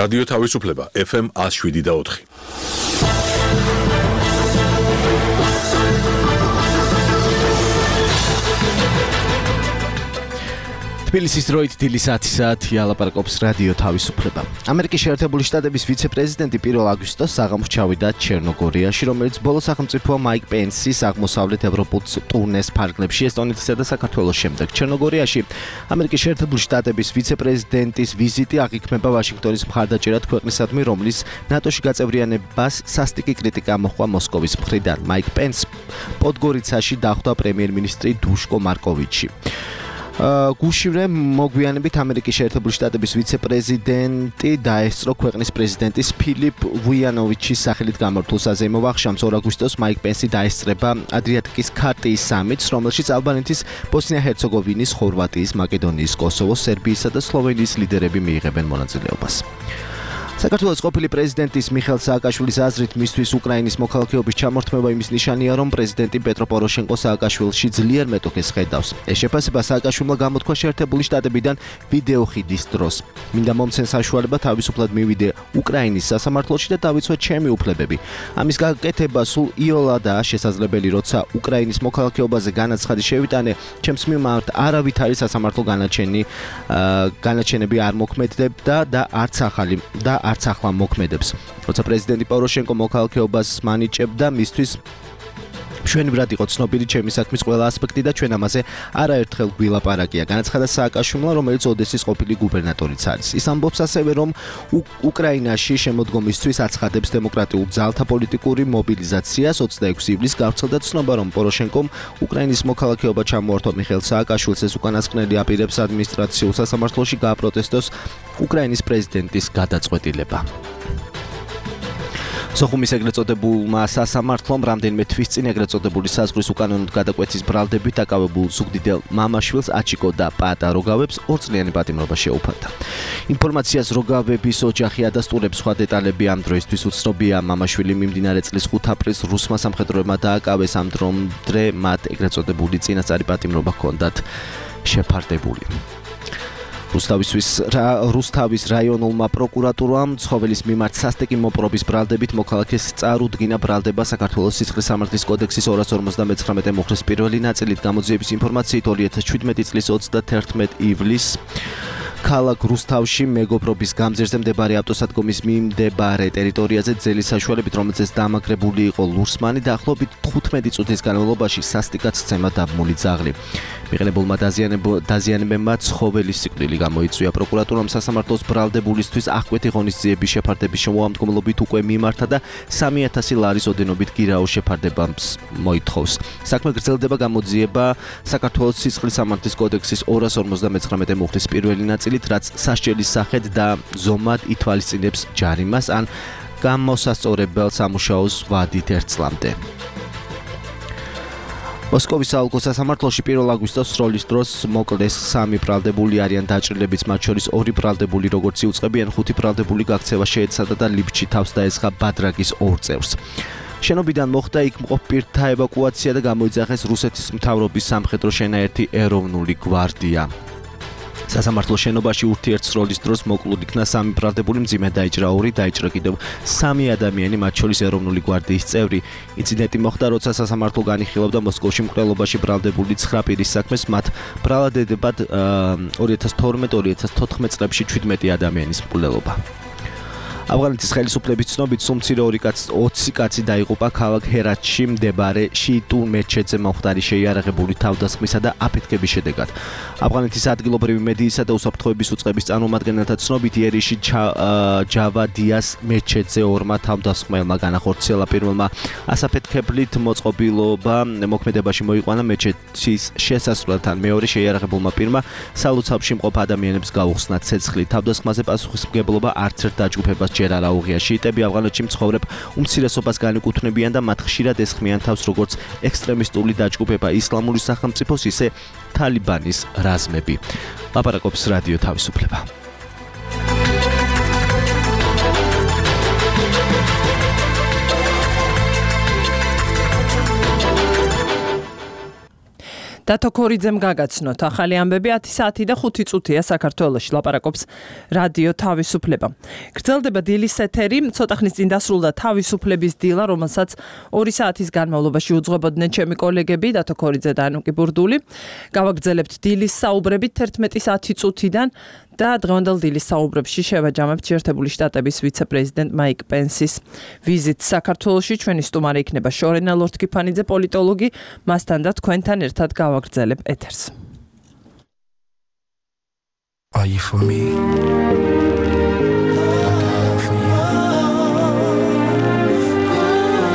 რადიო თავისუფლება FM 107.4. თბილისის დროით დილის 10 საათი ალაპარაკობს რადიო თავისუფლება. ამერიკის შეერთებული შტატების ვიცე-პრეზიდენტი 1 აგვისტოს საღამოს ჩავიდა ჩერნოგორიაში, რომელიც ბოლო სახელმწიფოა მაიკ პენსის აღმოსავლეთ ევროპულ ტურნეს ფარგლებში ესტონეთისა და საქართველოს შემდეგ. ჩერნოგორიაში ამერიკის შეერთებული შტატების ვიცე-პრეზიდენტის ვიზიტი აღიქმება ვაშინგტონის მხარდაჭერად ქვეყნისადმი, რომლის ნატოში გაწევრიანებას სასტიკი კრიტიკა მოჰყვა მოსკოვის მხრიდან. მაიკ პენს პოდგორიცაში დახვდა პრემიერ-მინისტრი დუშკო მარკოვიჩი. გუშინვე მოგვიანებით ამერიკის შეერთებული შტატების ვიცე-პრეზიდენტი დაესწრო ქვეყნის პრეზიდენტის ფილიპ ვუიანოვიჩის სახელით გამართულ საზეიმო ვახშამს 2 აგვისტოს მაიკ პენსი დაესწრება ადრიატიკის ქარტიის სამიტს, რომელშიც ალბანეთის, ბოსნია-ჰერცეგოვინის, ხორვატიის, მაკედონიის, კოსოვოს, სერბიისა და სლოვენიის ლიდერები მიიღებენ მონაწილეობას. საქართველოს ყოფილი პრეზიდენტის მიხეილ სააკაშვილის აზრით მისთვის უკრაინის მოქალაქეობის ჩამორთმევა იმის ნიშანია, რომ პრეზიდენტი პეტრო პოროშენკო სააკაშვილში ძლიერ მეტოქეს ხედავს. ეს შეფასება სააკაშვილმა გამოთქვა შეერთებული შტატებიდან ვიდეო ხიდის დროს. მინდა მომცენ საშუალება თავისუფლად მივიდე უკრაინის სასამართლოში და დავიცვე ჩემი უფლებები. ამის გაკეთება სულ იოლადაა შესაძლებელი, როცა უკრაინის მოქალაქეობაზე განაცხადი შევიტანე, ჩემს მიმართ არავითარი სასამართლო განაჩენები არ მოქმედებდა და არც ახლა მოქმედებს. როცა პრეზიდენტი პოროშენკო მოქალაქეობას მანიჭებდა, მისთვის მშვენივრად იყო ცნობილი ჩემი საქმის ყველა ასპექტი და ჩვენ ამაზე არაერთხელ გვილაპარაკია. განაცხადა სააკაშვილმა, რომელიც ოდესის ყოფილი გუბერნატორიც არის. ის ამბობს ასევე, რომ უკრაინაში შემოდგომისთვის აცხადებს დემოკრატიულ ძალთა პოლიტიკური მობილიზაციას. 26 ივლისს გავრცელდა ცნობა, რომ პოროშენკომ უკრაინის მოქალაქეობა ჩამოართვა მიხეილ სააკაშვილს. ეს უკანასკნელი აპირებს ადმინისტრაციულ სასამართლოში გააპროტესტოს უკრაინის პრეზიდენტის გადაწყვეტილება. სოხუმის ეგრეთ წოდებულმა სასამართლომ რამდენიმე თვის წინ ეგრეთ წოდებული საზღვრის უკანონოდ გადაკვეთის ბრალდებით დაკავებულ ზუგდიდელ მამაშვილს აჩიკო და პაატა როგავებს 2-წლიანი პატიმრობა შეუფარდა. ინფორმაციას როგავების ოჯახი ადასტურებს, სხვა დეტალები ამ დროისთვის უცნობია. მამაშვილი მიმდინარე წლის 5 აპრილს რუსმა სამხედროებმა დააკავეს, ამ დრომდე მათ ეგრეთ წოდებული წინასწარი პატიმრობა ჰქონდათ შეფარდებული. რუსთავის რაიონულმა პროკურატურამ ცხოველის მიმართ სასტიკი მოპყრობის ბრალდებით მოქალაქეს წარუდგინა ბრალდება საქართველოს სისხლის სამართლის კოდექსის 259 მუხლის პირველი ნაწილით. გამოძიების ინფორმაციით 2017 წლის 31 ივლისს ქალაქ რუსთავში მეგობრობის გამზირზე მდებარე ავტოსადგომის მიმდებარე ტერიტორიაზე ძელის საშუალებით, რომელზეც დამაგრებული იყო ლურსმანი, დაახლოებით 15 წუთის განმავლობაში სასტიკად სცემა დაბმული ძაღლი. მიღებულმა დაზიანებებმა ცხოველის სიკვდილი გამოიწვია. პროკურატურამ სასამართლოს ბრალდებულისთვის აღკვეთი ღონისძიების შეფარდების შემოამდგომლობით უკვე მიმართა და 3000 ლარის ოდენობით გირაოს შეფარდებას მოითხოვს. საქმე გრძელდება, გამოძიება საქართველოს სისხლის სამართლის კოდექსის 259 მუხლის პირველი ნაწილით, რაც სასჯელის სახედ და ზომად ითვალისწინებს ჯარიმას ან გამოსასწორებელ სამუშაოს ვადით 1 წლამდე. მოსკოვის საოლქო სასამართლოში 1 აგვისტოს სროლის დროს მოკლეს 3 ბრალდებული არიან დაჭრილებიც, მათ შორის 2 ბრალდებული როგორც იუწყებიან, 5 ბრალდებული გაქცევა შეეცადა და ლიფტში თავს დაესხა ბადრაგის 2 წევრს. შენობიდან მოხდა იქ მყოფ პირთა ევაკუაცია და გამოიძახეს რუსეთის მთავრობის სამხედრო შენაერთი ეროვნული გვარდია. სასამართლოს შენობაში ურთიერთსროლის დროს მოკლულ იქნა 3 ბრალდებული, მძიმე დაიჭრა 2, დაიჭრა კიდევ 3 ადამიანი, მათ შორის ეროვნული გვარდიის წევრი. ინციდენტი მოხდა, როცა სასამართლო განიხილავდა მოსკოვში მკვლელობაში ბრალდებული 9 პირის საქმეს, მათ ბრალდებად 2012-2014 წლებში 17 ადამიანის მკვლელობა. ავღანეთის ხელისუფლების ცნობით სულ მცირე 20 კაცი დაიღუპა ქალაქ ჰერათში მდებარე შიიტულ მეჩეთზე მომხდარი შეიარაღებული თავდასხმისა და აფეთქების შედეგად. ავღანეთის ადგილობრივი მედიისა და უსაფრთხოების უწყების წარმომადგენელთა ცნობით იერიში ჯავადიას მეჩეთზე 2 თავდასხმელმა განახორციელა. პირველმა ასაფეთქებლით მოწყობილობა მოქმედებაში მოიყვანა მეჩეთის შესასვლელთან, მეორე შეიარაღებულმა პირმა სალოცავში მყოფ ადამიანებს გაუხსნა ცეცხლი. თავდასხმაზე პასუხისმგებლობა არც ერთ დაჯგუფებას ჯერ არ აუღია. შიიტები ავღანეთში მცხოვრებ უმცირესობას განეკუთვნებიან და მათ ხშირად ესხმიან თავს როგორც ექსტრემისტული დაჯგუფება ისლამური სახელმწიფოს, ისე თალიბანის რაზმები. ლაპარაკობს რადიო თავისუფლება. დათო ქორიძემ გაგაცნოთ ახალი ამბები 10 საათი და 5 წუთია საქართველოში ლაპარაკობს რადიო თავისუფლება. გრძელდება დილის ეთერი, ცოტა ხნის წინ დასრულდა თავისუფლების დილა, რომელსაც 2 საათის განმავლობაში უძღვებოდნენ ჩემი კოლეგები დათო ქორიძე და ანუკი ბურდული. გავაგრძელებთ დილის საუბრებით 11 საათი წუთიდან და დღევანდელ დილის საუბრებში შევაჯამებთ შეერთებული შტატების ვიცე-პრეზიდენტ მაიკ პენსის ვიზიტს საქართველოში. ჩვენი სტუმარი იქნება შორენა ლორთქიფანიძე, პოლიტოლოგი, მასთან და თქვენთან ერთად გავაგრძელებ ეთერს. Are you for me?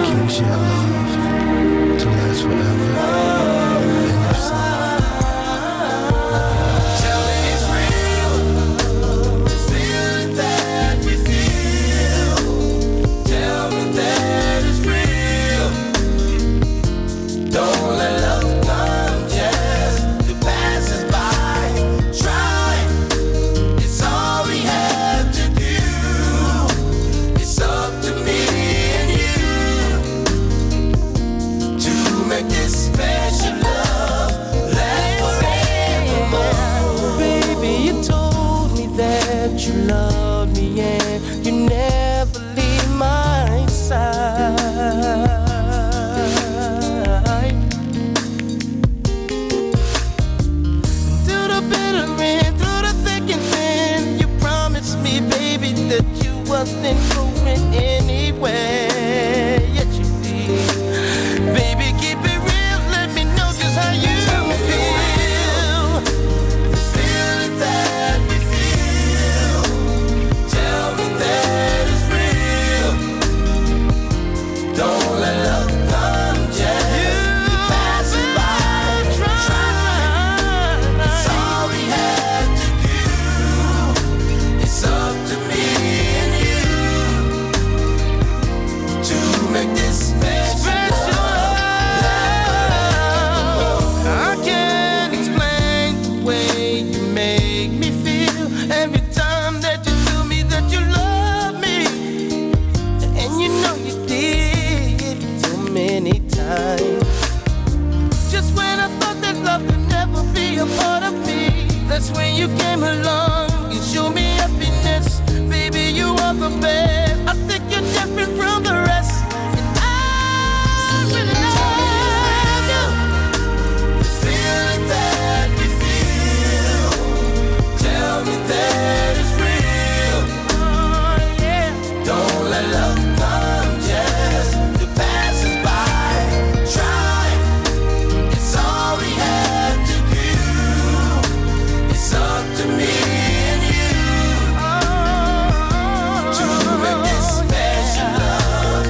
Can we share love to last forever? And if so, tell me it's real. The feeling that we feel. Tell me that it's real. Don't let love come just to pass us by. Try. It's all we have to do. It's up to me and you to make this special love last forevermore. Baby, you told me that you love me and you never leave my side. Through the bitter and through the thick and thin, you promised me, baby, that you wasn't going anywhere. Yet you did. Baby, keep it real, let me know just how you feel. The feeling that we feel. Tell me that it's real. Don't let love come just to pass us by. Try. It's all we have to do. It's up to me and you to make this special love. I can't explain the way you make me feel every time that you tell me that you love me. And you know you did so many times. Just when I thought that love could never be a part of me, that's when you came along and showed me happiness. Baby, you are the best. I think you're different from the rest. And I really love you. The feeling that we feel. Tell me that it's real. Oh, yeah. Don't let love come just to pass us by. Try. It's all we have to do. It's up to me and you to make this special love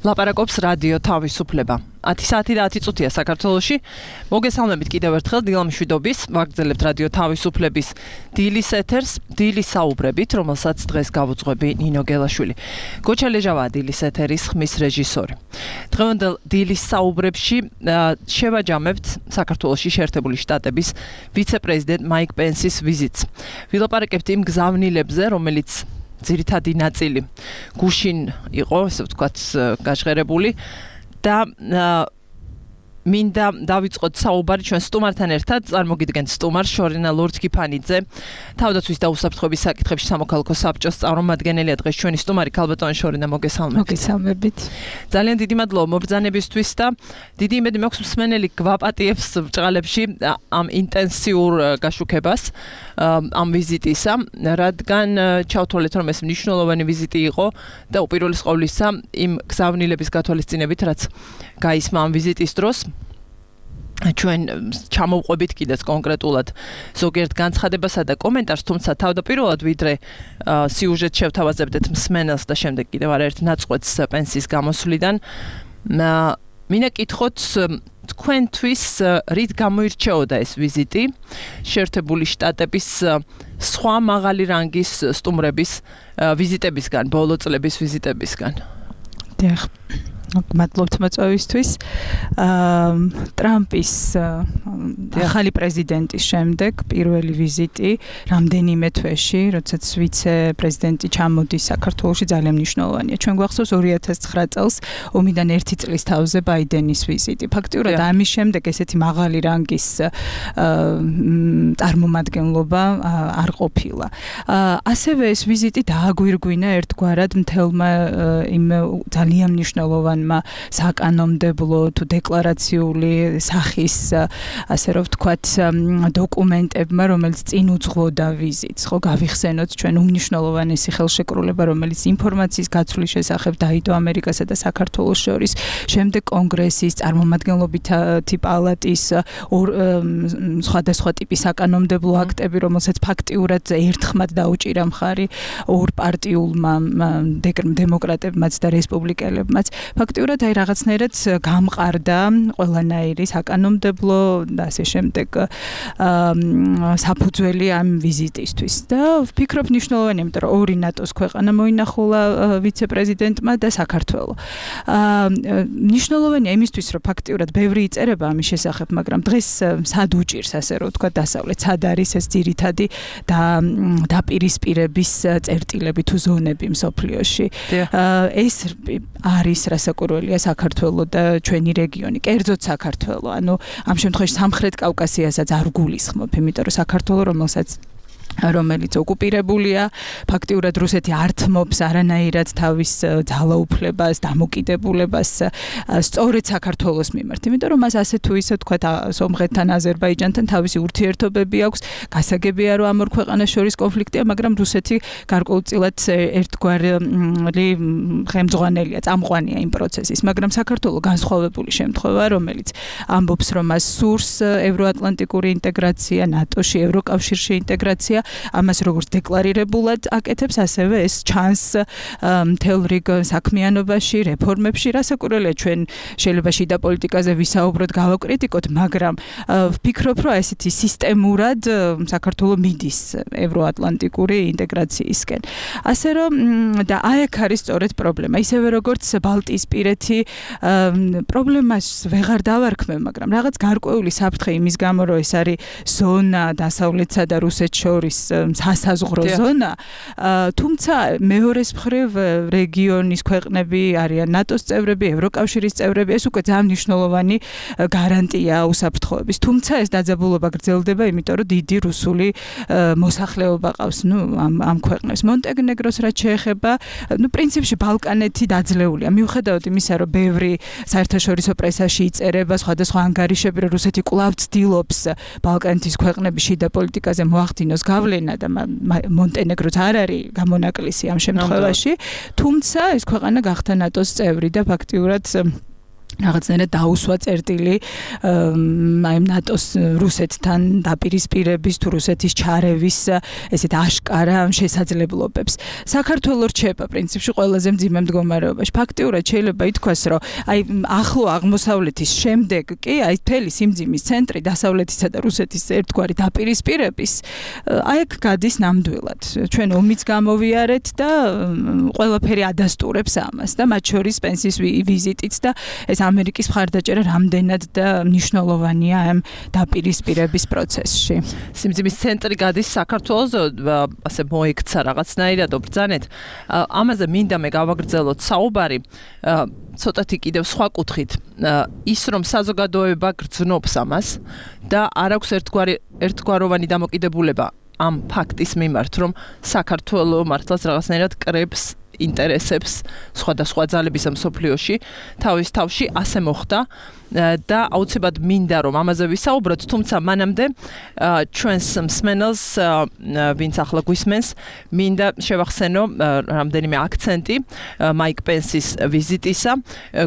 ლაპარაკობს რადიო თავისუფლება. 10 საათი და 10 წუთია საქართველოში. მოგესალმებით კიდევ ერთხელ დილა მშვიდობის. ვაგრძელებთ რადიო თავისუფლების დილის ეთერს, დილის საუბრებით, რომელსაც დღეს გავუძღვები ნინო გელაშვილი. გოჩა ლეჟავაა დილის ეთერის ხმის რეჟისორი. დღევანდელ დილის საუბრებში შევაჯამებთ საქართველოში შეერთებული შტატების ვიცე-პრეზიდენტ მაიკ პენსის ვიზიტს. ვილაპარაკებთ იმ გზავნილებზე, რომელიც ძირითადი ნაწილი გუშინ იყო, ესე ვთქვათ, გაჟღერებული და მინდა დავიწყოთ საუბარი ჩვენ სტუმართან ერთად. წარმოგიდგენთ სტუმარს შორინა ლორთქიფანიძე, თავდაცვის და უსაფრთხოების საკითხებში სამოქალაქო საბჭოს წარმომადგენელია დღეს ჩვენი სტუმარი. ქალბატონი შორინა, მოგესალმებით. მოგესალმებით. ძალიან დიდი მადლობა მობრძანებისთვის და დიდი იმედი მაქვს მსმენელი გვაპატიებს ბრჭყალებში ამ ინტენსიურ გაშუქებას ამ ვიზიტისა, რადგან ჩავთვალეთ, რომ ეს მნიშვნელოვანი ვიზიტი იყო და უპირველეს ყოვლისა იმ გზავნილების გათვალისწინებით, რაც გაისმა ამ ვიზიტის დროს. ჩვენ ჩამოვყვებით კიდეც კონკრეტულად ზოგიერთ განცხადებასა და კომენტარს, თუმცა თავდაპირველად ვიდრე სიუჟეტს შევთავაზებდეთ მსმენელს და შემდეგ კიდევ არაერთ ნაწყვეტს პენსის გამოსვლიდან, მინდა კითხოთ თქვენთვის რით გამოირჩეოდა ეს ვიზიტი შეერთებული შტატების სხვა მაღალი რანგის სტუმრების ვიზიტებისგან, ბოლო წლების ვიზიტებისგან? დიახ. მადლობთ მოწვევისთვის. ტრამპის ახალი პრეზიდენტის შემდეგ პირველი ვიზიტი რამდენიმე თვეში, როდესაც ვიცე-პრეზიდენტი ჩამოდის საქართველოში, ძალიან მნიშვნელოვანია. ჩვენ გვახსოვს 2009 წელს ომიდან 1 წლის თავზე ბაიდენის ვიზიტი. ფაქტიურად ამის შემდეგ ესეთი მაღალი რანგის წარმომადგენლობა არ ყოფილა. ასევე ეს ვიზიტი დააგვირგვინა ერთგვარად მთელმა იმ ძალიან მნიშვნელოვან საკანონმდებლო თუ დეკლარაციული სახის, ასე რომ ვთქვათ, დოკუმენტებმა, რომელიც წინ უძღვოდა ვიზიტს. ხო, გავიხსენოთ ჩვენ უმნიშვნელოვანესი ხელშეკრულება, რომელიც ინფორმაციის გაცვლის შესახებ დაიდო ამერიკასა და საქართველოს შორის, შემდეგ კონგრესის, წარმომადგენლობითი პალატის სხვადასხვა ტიპის საკანონმდებლო აქტები, რომელსაც ფაქტიურად ერთხმად დაუჭირა მხარი ორ პარტიულმა დემოკრატებმაც და რესპუბლიკელებმაც. ფაქტიურად აი რაღაცნაირად გამყარდა ყველანაირი საკანონმდებლო და ასე შემდეგ საფუძველი ამ ვიზიტისთვის და ვფიქრობ მნიშვნელოვანია, იმიტომ რომ ორი ნატოს ქვეყანა მოინახულა ვიცე-პრეზიდენტმა და საქართველო. მნიშვნელოვანია იმისთვის, რომ ფაქტიურად ბევრი იწერება ამის შესახებ, მაგრამ დღეს სად უჭირს, ასე რომ ვთქვათ, დასავლეთ, სად არის ეს ძირითადი დაპირისპირების წერტილები თუ ზონები მსოფლიოში. ეს არის რასაკვირველია საქართველო და ჩვენი რეგიონი, კერძოდ საქართველო. ანუ ამ შემთხვევაში სამხრეთ კავკასიასაც არ გულისხმობ, იმიტომ რომ საქართველო, რომელიც ოკუპირებულია, ფაქტიურად რუსეთი არ თმობს არანაირად თავის ძალაუფლებას, დამოკიდებულებას სწორედ საქართველოს მიმართ, იმიტომ რომ მას ასე თუ ისე თქვა სომხეთთან, აზერბაიჯანთან თავისი ურთიერთობები აქვს, გასაგებია რომ ამ ორ ქვეყანას შორის კონფლიქტია, მაგრამ რუსეთი გარკვეულწილად ერთგვარი ხელმძღვანელია, წამყვანია იმ პროცესის, მაგრამ საქართველო განსხვავებული შემთხვევაა, რომელიც ამბობს, რომ მას სურს ევროატლანტიკური ინტეგრაცია, ნატოში, ევროკავშირში ინტეგრაცია. ამას როგორც დეკლარირებულად აკეთებს, ასევე ეს ჩანს მთელ რიგ საქმიანობაში, რეფორმებში. რასაკვირველია, ჩვენ შეიძლება შიდა პოლიტიკაზე ვისაუბროთ, გავაკრიტიკოთ, მაგრამ ვფიქრობ, რომ ესეთი სისტემურად საქართველო მიდის ევროატლანტიკური ინტეგრაციისკენ. ასე რომ და აქ არის სწორედ პრობლემა. ისევე როგორც ბალტიისპირეთი პრობლემას ვეღარ დავარქმევ, მაგრამ რაღაც გარკვეული საფრთხე იმის გამო, რომ ეს არის ზონა დასავლეთსა და რუსეთს შორის სასაზღვრო ზონა, თუმცა მეორეს მხრივ რეგიონის ქვეყნები არიან ნატოს წევრები, ევროკავშირის წევრები, ეს უკვე ძალიან მნიშვნელოვანი გარანტია უსაფრთხოების. თუმცა ეს დაძაბულობა გრძელდება, იმიტომ რომ დიდი რუსული მოსახლეობა ყავს ამ ქვეყნებს. მონტენეგროს რაც შეეხება, პრინციპში ბალკანეთი დაძლეულია. მიუხედავად იმისა, რომ ბევრი საერთაშორისო პრესაში იწერება სხვადასხვა ანგარიშები, რომ რუსეთი კვლავ ცდილობს ბალკანეთის ქვეყნების შიდა პოლიტიკაზე მოახდინოს გავლენა და მონტენეგროც არ არის გამონაკლისი ამ შემთხვევაში, თუმცა ეს ქვეყანა გახდა ნატოს წევრი და ფაქტიურად რაღაცნაირად დაუსვა წერტილი აი ნატოს რუსეთთან დაპირისპირების თუ რუსეთის ჩარევის ესეთ აშკარა შესაძლებლობებს. საქართველოს რჩება პრინციპში ყველაზე მძიმე მდგომარეობაში. ფაქტიურად შეიძლება ითქვას, რომ აი ახლო აღმოსავლეთის შემდეგ კი აი მთელი სიმძიმის ცენტრი დასავლეთისა და რუსეთის ერთგვარი დაპირისპირების აი აქ გადის ნამდვილად. ჩვენ ომიც გამოვიარეთ და ყველაფერი ადასტურებს ამას და მათ შორის პენსის ვიზიტიც და ეს ამერიკის მხარდაჭერა რამდენად და მნიშვნელოვანია ამ დაპირისპირების პროცესში. სიმძიმის ცენტრი გადის საქართველოს, ასე მოიქცა რაღაცნაირად ბრძანეთ. ამაზე მინდა მე გავაგრძელოთ საუბარი, ცოტათი კიდევ სხვა კუთხით. ის რომ საზოგადოება გრძნობს ამას და არ აქვს ერთგვაროვანი დამოკიდებულება ამ ფაქტის მიმართ, რომ საქართველოს მართლაც რაღაცნაირად კრებს ინტერესებს სხვადასხვა ძალების მსოფლიოში თავის თავში ასე მოხდა და აუცილებლად მინდა რომ ამაზე ვისაუბროთ, თუმცა მანამდე ჩვენს მსმენელს ვინც ახლა გვისმენს მინდა შევახსენო რამდენიმე აქცენტი მაიკ პენსის ვიზიტისა.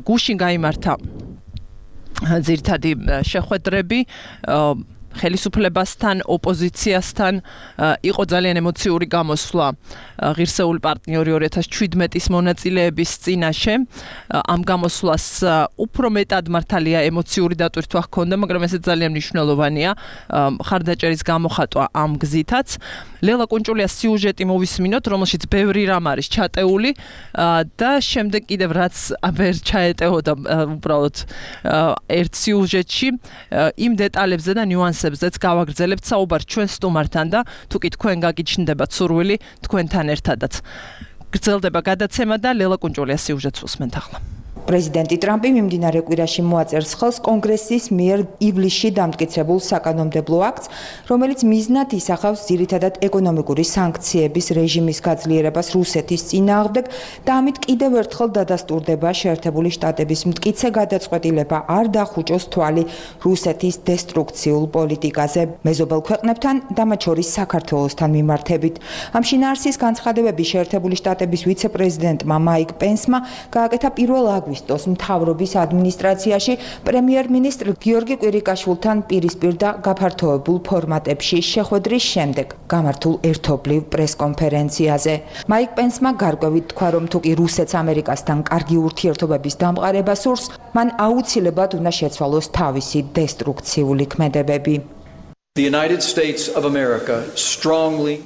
გუშინ გაიმართა ძირითადი შეხვედრები ხელისუფლებასთან, ოპოზიციასთან, იყო ძალიან ემოციური გამოსვლა ღირსეული პარტნიორი 2017-ის მონაწილეების წინაშე. ამ გამოსვლას უფრო მეტად მართალია ემოციური დატვირთვა ჰქონდა, მაგრამ ეს ძალიან მნიშვნელოვანია მხარდაჭერის გამოხატვა ამ გზითაც. ლელა კუნჭულიას სიუჟეტი მოვისმინოთ, რომელშიც ბევრი რამ არის ჩატეული და შემდეგ კიდევ რაც ვერ ჩაეტეოდა უბრალოდ ერთ სიუჟეტში იმ დეტალებზე და ნიუანსებზეც გავაგრძელებთ საუბარს ჩვენ სტუმართან და თუ კი თქვენ გაგიჩნდებათ სურვილი თქვენთან ერთადაც. გრძელდება გადაცემა და ლელა კუნჭულიას სიუჟეტს უსმენთ ახლა. პრეზიდენტი ტრამპი მიმდინარე კვირაში მოაწერს ხელს კონგრესის მიერ ივლისში დამტკიცებულ საკანონმდებლო აქტს, რომელიც მიზნად ისახავს ძირითადად ეკონომიკური სანქციების რეჟიმის გაძლიერებას რუსეთის წინააღმდეგ და ამით კიდევ ერთხელ დადასტურდება შეერთებული შტატების მტკიცე გადაწყვეტილება არ დახუჭოს თვალი რუსეთის დესტრუქციულ პოლიტიკაზე მეზობელ ქვეყნებთან და მათ შორის საქართველოსთან მიმართებით. ამ შინაარსის განცხადებები შეერთებული შტატების ვიცე-პრეზიდენტმა მაიკ პენსმა გააკეთა 1 აგვისტოს მთავრობის ადმინისტრაციაში პრემიერ-მინისტრ გიორგი კვირიკაშვილთან პირისპირ და გაფართოებულ ფორმატებში შეხვედრის შემდეგ გამართულ ერთობლივ პრესკონფერენციაზე. მაიკ პენსმა გარკვევით თქვა, რომ თუკი რუსეთს ამერიკასთან კარგი ურთიერთობების დამყარება სურს, მან აუცილებლად უნდა შეცვალოს თავისი დესტრუქციული ქმედებები.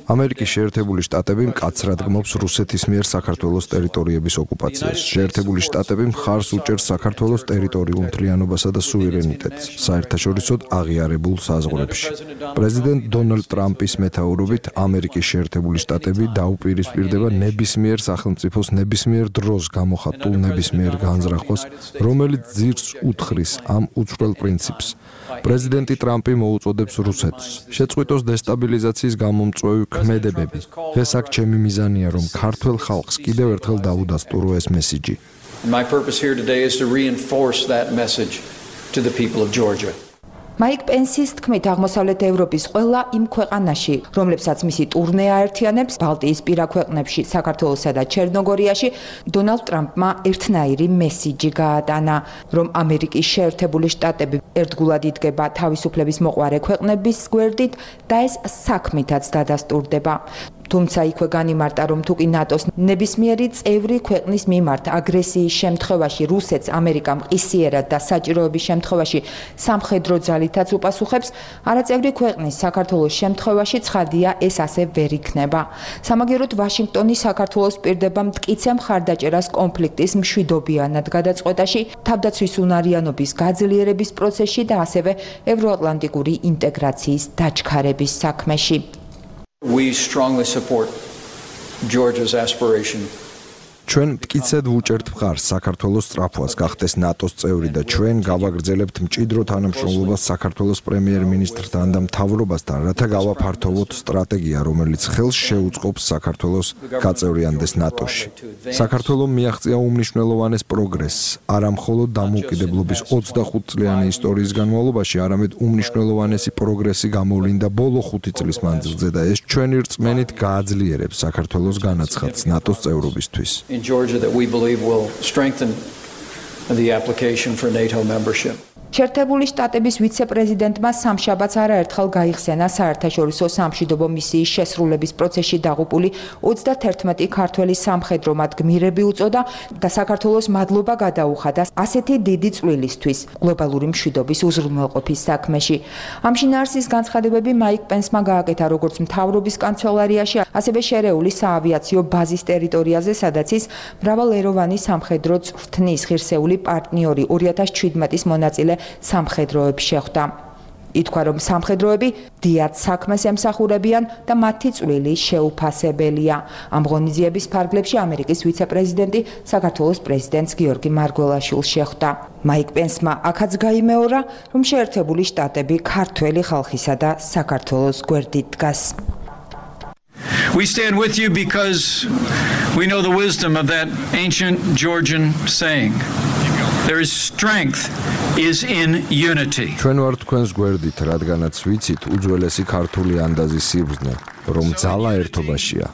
ამერიკის შეერთებული შტატები მკაცრად გმობს რუსეთის მიერ საქართველოს ტერიტორიების ოკუპაციას. შეერთებული შტატები მხარს უჭერს საქართველოს ტერიტორიულ მთლიანობასა და სუვერენიტეტს საერთაშორისოდ აღიარებულ საზღვრებში. პრეზიდენტ დონალდ ტრამპის მეთაურობით ამერიკის შეერთებული შტატები დაუპირისპირდება ნებისმიერ სახელმწიფოს ნებისმიერ დროს გამოხატულ ნებისმიერ განზრახვას, რომელიც ძირს უთხრის ამ უცვლელ პრინციპს. პრეზიდენტი ტრამპი მოუწოდებს რუსეთს შეწყვიტოს დესტაბილიზაციის გამომწვევი ქმედებები. დღეს აქ ჩემი მიზანია, რომ ქართველ ხალხს კიდევ ერთხელ დაუდასტურო ეს მესიჯი. My purpose here today is to reinforce that message to the people of Georgia. მაიკ პენსის თქმით, აღმოსავლეთ ევროპის ყველა იმ ქვეყანაში, რომლებსაც მისი ტურნე აერთიანებს, ბალტიისპირა ქვეყნებში, საქართველოსა და ჩერნოგორიაში, დონალდ ტრამპმა ერთნაირი მესიჯი გაატანა, რომ ამერიკის შეერთებული შტატები ერთგულად იდგება თავისუფლების მოყვარე ქვეყნების გვერდით და ეს საქმითაც დადასტურდება. თუმცა იქვე განიმარტა, რომ თუკი ნატოს ნებისმიერი წევრი ქვეყნის მიმართ აგრესიის შემთხვევაში რუსეთს ამერიკამ ყისიერად და საჭიროების შემთხვევაში სამხედრო ძალითაც უპასუხებს, არაწევრი ქვეყნის საქართველოს შემთხვევაში ცხადია ეს ასე ვერ იქნება. სამაგიეროდ ვაშინგტონი საქართველოს პირდება მტკიცე მხარდაჭერას კონფლიქტის მშვიდობიანად გადაწყვეტაში, თავდაცვის უნარიანობის გაძლიერების პროცესში და ასევე ევროატლანტიკური ინტეგრაციის დაჩქარების საქმეში. We strongly support Georgia's aspiration. ჩვენ მტკიცედ ვუჭერთ მხარს საქართველოს სწრაფვას გახდეს ნატოს წევრი და ჩვენ გავაგრძელებთ მჭიდრო თანამშრომლობას საქართველოს პრემიერ-მინისტრთან და მთავრობასთან, რათა გავაფართოვოთ სტრატეგია, რომელიც ხელს შეუწყობს საქართველოს გაწევრიანდეს ნატოში. საქართველომ მიაღწია უმნიშვნელოვანეს პროგრესს, არა მხოლოდ დამოუკიდებლობის 25 წლიანი ისტორიის განმავლობაში, არამედ უმნიშვნელოვანესი პროგრესი გამოვლინდა ბოლო 5 წლის მანძილზე და ეს ჩვენი რწმენით გააძლიერებს საქართველოს განაცხადს ნატოს წევრობისთვის. In Georgia that we believe will strengthen the application for NATO membership. შეერთებული შტატების ვიცე-პრეზიდენტმა სამშაბათს არაერთხელ გაიხსენა საერთაშორისო სამშვიდობო მისიის შესრულების პროცესში დაღუპული 31 ქართველი სამხედრო მათ გმირები უწოდა და საქართველოს მადლობა გადაუხადა ასეთი დიდი წვლილისთვის გლობალური მშვიდობის უზრუნველყოფის საქმეში. ამ შინაარსის განცხადებები მაიკ პენსმა გააკეთა როგორც მთავრობის კანცელარიაში, ასევე შერეული საავიაციო ბაზის ტერიტორიაზე, სადაც ის მრავალეროვანი სამხედრო წვრთნის ღირსეული პარტნიორი 2017-ის მონაწილე სამხედროებს შეხვდა. ითქვა, რომ სამხედროები დიად საქმეს ემსახურებიან და მათი წვლილი შეუფასებელია. ამ ღონისძიების ფარგლებში ამერიკის ვიცე-პრეზიდენტი საქართველოს პრეზიდენტს გიორგი მარგველაშვილს შეხვდა. მაიკ პენსმა აქაც გაიმეორა, რომ შეერთებული შტატები ქართველი ხალხისა და საქართველოს გვერდით დგას. We stand with you because we know the wisdom of that ancient Georgian saying. There is strength is in unity. ჩვენ ვართ თქვენს გვერდით, რადგანაც ვიცით უძველესი ქართული ანდაზის სიბრძნე, რომ ძალა ერთობაშია.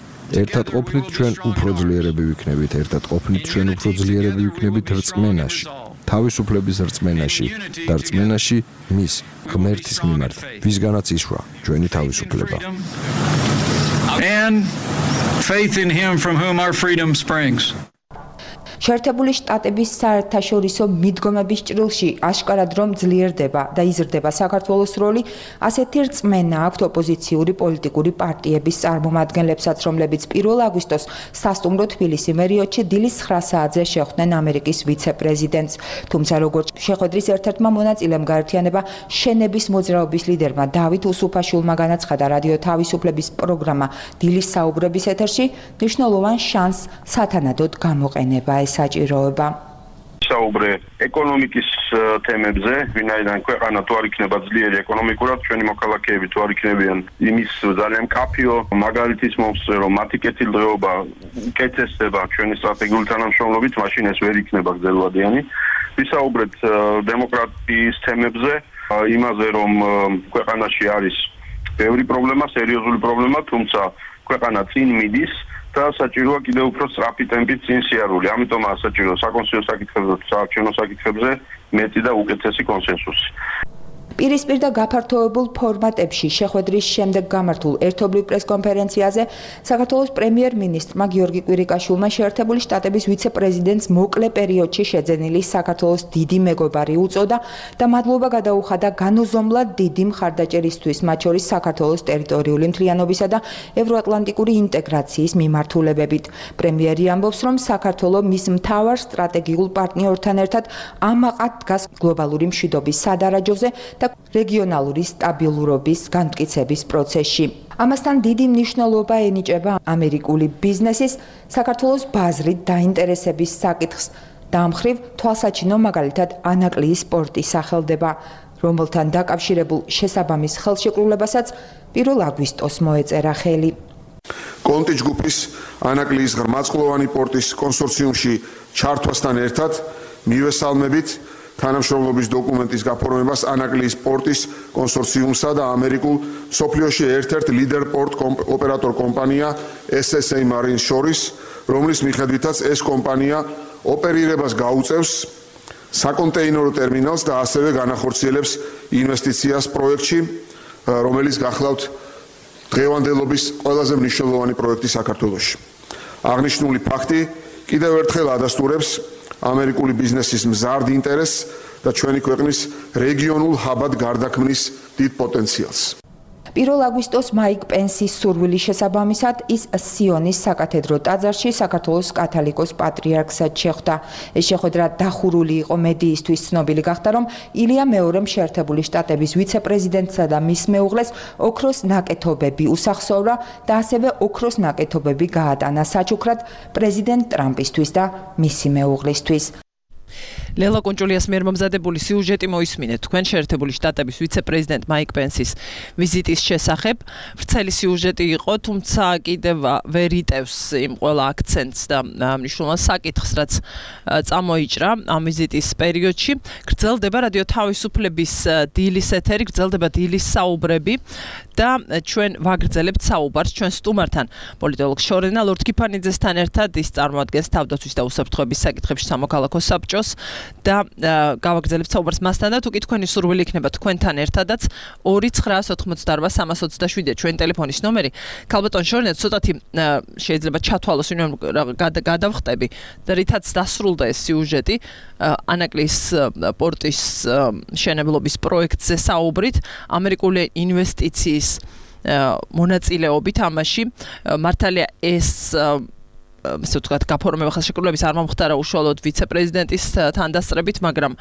ერთად ყოფნით ჩვენ უფრო ძლიერები ვიქნებით, ერთად ყოფნით ჩვენ უფრო ძლიერები ვიქნებით რწმენაში, თავისუფლების რწმენაში და რწმენაში მის ღმერთის მიმართ, ვისგანაც ისვა ჩვენი თავისუფლება. And faith in him from whom our freedom springs. შეერთებული შტატების საერთაშორისო მიდგომების ჭრილში აშკარად რომ ძლიერდება და იზრდება საქართველოს როლი, ასეთი რწმენა აქვთ ოპოზიციური პოლიტიკური პარტიების წარმომადგენლებსაც, რომლებიც 1 აგვისტოს სასტუმრო თბილისი მერიოტში დილის 9 საათზე შეხვდნენ ამერიკის ვიცე-პრეზიდენტს. თუმცა როგორც შეხვედრის ერთ-ერთმა მონაწილემ გაერთიანება შენების მოძრაობის ლიდერმა დავით უსუფაშვილმა განაცხადა რადიო თავისუფლების პროგრამა დილის საუბრების ეთერში, მნიშვნელოვან შანსს სათანადოდ გამოყენება საჭიროება. საუბრე ეკონომიკის თემებზე, ვინაიდან ქვეყანა თუ არ იქნება ძლიერი ეკონომიკურად, ჩვენი მოქალაქეები თუ არ იქნებიან იმის ძალიან მკაფიო მაგალითის მომსწრე, რომ მათი კეთილდღეობა უკეთესდება ჩვენი სტრატეგიული თანამშრომლობით, მაშინ ეს ვერ იქნება გრძელვადიანი. ვისაუბრეთ დემოკრატიის თემებზე, იმაზე, რომ ქვეყანაში არის ბევრი პრობლემა, სერიოზული პრობლემა, თუმცა ქვეყანა წინ მიდის და საჭიროა კიდევ უფრო სწრაფი ტემპით წინ სიარული. ამიტომაა საჭირო საკონსტიტუციო საკითხებზე და საარჩევნო საკითხებზე მეტი და უკეთესი კონსენსუსი. პირისპირ და გაფართოებულ ფორმატებში შეხვედრის შემდეგ გამართულ ერთობლივ პრესკონფერენციაზე საქართველოს პრემიერ-მინისტრმა გიორგი კვირიკაშვილმა შეერთებული შტატების ვიცე-პრეზიდენტს მოკლე პერიოდში შეძენილი საქართველოს დიდი მეგობარი უწოდა და მადლობა გადაუხადა განუზომლად დიდი მხარდაჭერისთვის, მათ შორის საქართველოს ტერიტორიული მთლიანობისა და ევროატლანტიკური ინტეგრაციის მიმართულებებით. პრემიერი ამბობს, რომ საქართველო მის მთავარ სტრატეგიულ პარტნიორთან ერთად ამაყად დგას გლობალური მშვიდობის სადარაჯოზე და რეგიონალური სტაბილურობის განმტკიცების პროცესში. ამასთან დიდი მნიშვნელობა ენიჭება ამერიკული ბიზნესის საქართველოს ბაზრით დაინტერესების საკითხს. დამხრივ თვალსაჩინო მაგალითად ანაკლიის პორტი სახელდება, რომელთან დაკავშირებულ შესაბამის ხელშეკრულებასაც 1 აგვისტოს მოეწერა ხელი. კონტი ჯგუფის ანაკლიის ღრმაწყლოვანი პორტის კონსორციუმში ჩართვასთან ერთად მივესალმებით თანამშრომლობის დოკუმენტის გაფორმებას ანაკლიის პორტის კონსორციუმსა და ამერიკულ სოფლიოში ერთ-ერთ ლიდერ პორტ ოპერატორ კომპანია SSA Marine შორის, რომლის მიხედვითაც ეს კომპანია ოპერირებას გაუწევს საკონტეინერო ტერმინალს და ასევე განახორციელებს ინვესტიციას პროექტში, რომელიც გახლავთ დღევანდელობის ყველაზე მნიშვნელოვანი პროექტი საქართველოში. აღნიშნული ფაქტი კიდევ ერთხელ ადასტურებს ამერიკული ბიზნესის მზარდ ინტერესს და ჩვენი ქვეყნის რეგიონულ ჰაბად გარდაქმნის დიდ პოტენციალს. 1 აგვისტოს მაიკ პენსის სურვილის შესაბამისად ის სიონის საკათედრო ტაძარში საქართველოს კათოლიკოს პატრიარქსაც შეხვდა. ეს შეხვედრა დახურული იყო მედიისთვის, ცნობილი გახდა, რომ ილია მეორემ შეერთებული შტატების ვიცე-პრეზიდენტსა და მის მეუღლეს ოქროს ნაკეთობები უსახსოვრა და ასევე ოქროს ნაკეთობები გაატანა საჩუქრად პრეზიდენტ ტრამპისთვის და მისი მეუღლისთვის. ლელა კონჭულიას მიერ მომზადებული სიუჟეტი მოისმინეთ თქვენ შეერთებული შტატების ვიცე-პრეზიდენტ მაიკ პენსის ვიზიტის შესახებ. ვრცელი სიუჟეტი იყო, თუმცა კიდევ ვერ იტევს იმ ყველა აქცენტს და მნიშვნელოვან საკითხს, რაც წამოიჭრა ამ ვიზიტის პერიოდში. გრძელდება რადიო თავისუფლების დილის ეთერი, გრძელდება დილის საუბრები და ჩვენ ვაგრძელებთ საუბარს ჩვენ სტუმართან. პოლიტოლოგ შორენა ლორთქიფანიძესთან ერთად ის წარმოადგენს თავდაცვის და უსაფრთხოების საკითხებში სამოქალაქო საბჭოს და გავაგრძელებთ საუბარს მასთან და თუ კი თქვენი სურვილი იქნება თქვენთან ერთადაც 2988327 ჩვენი ტელეფონის ნომერი. ქალბატონ შორნეთ ცოტათი შეიძლება ჩათვალოს ვინმე გადავხტები და რითაც დასრულდა ეს სიუჟეტი ანაკლიის პორტის მშენებლობის პროექტზე საუბრით ამერიკული ინვესტიციის მონაწილეობით ამაში მართალია ეს ასე ვთქვათ გაფორმება ხელშეკრულების არ მომხდარა უშუალოდ ვიცე-პრეზიდენტის თანდასწრებით, მაგრამ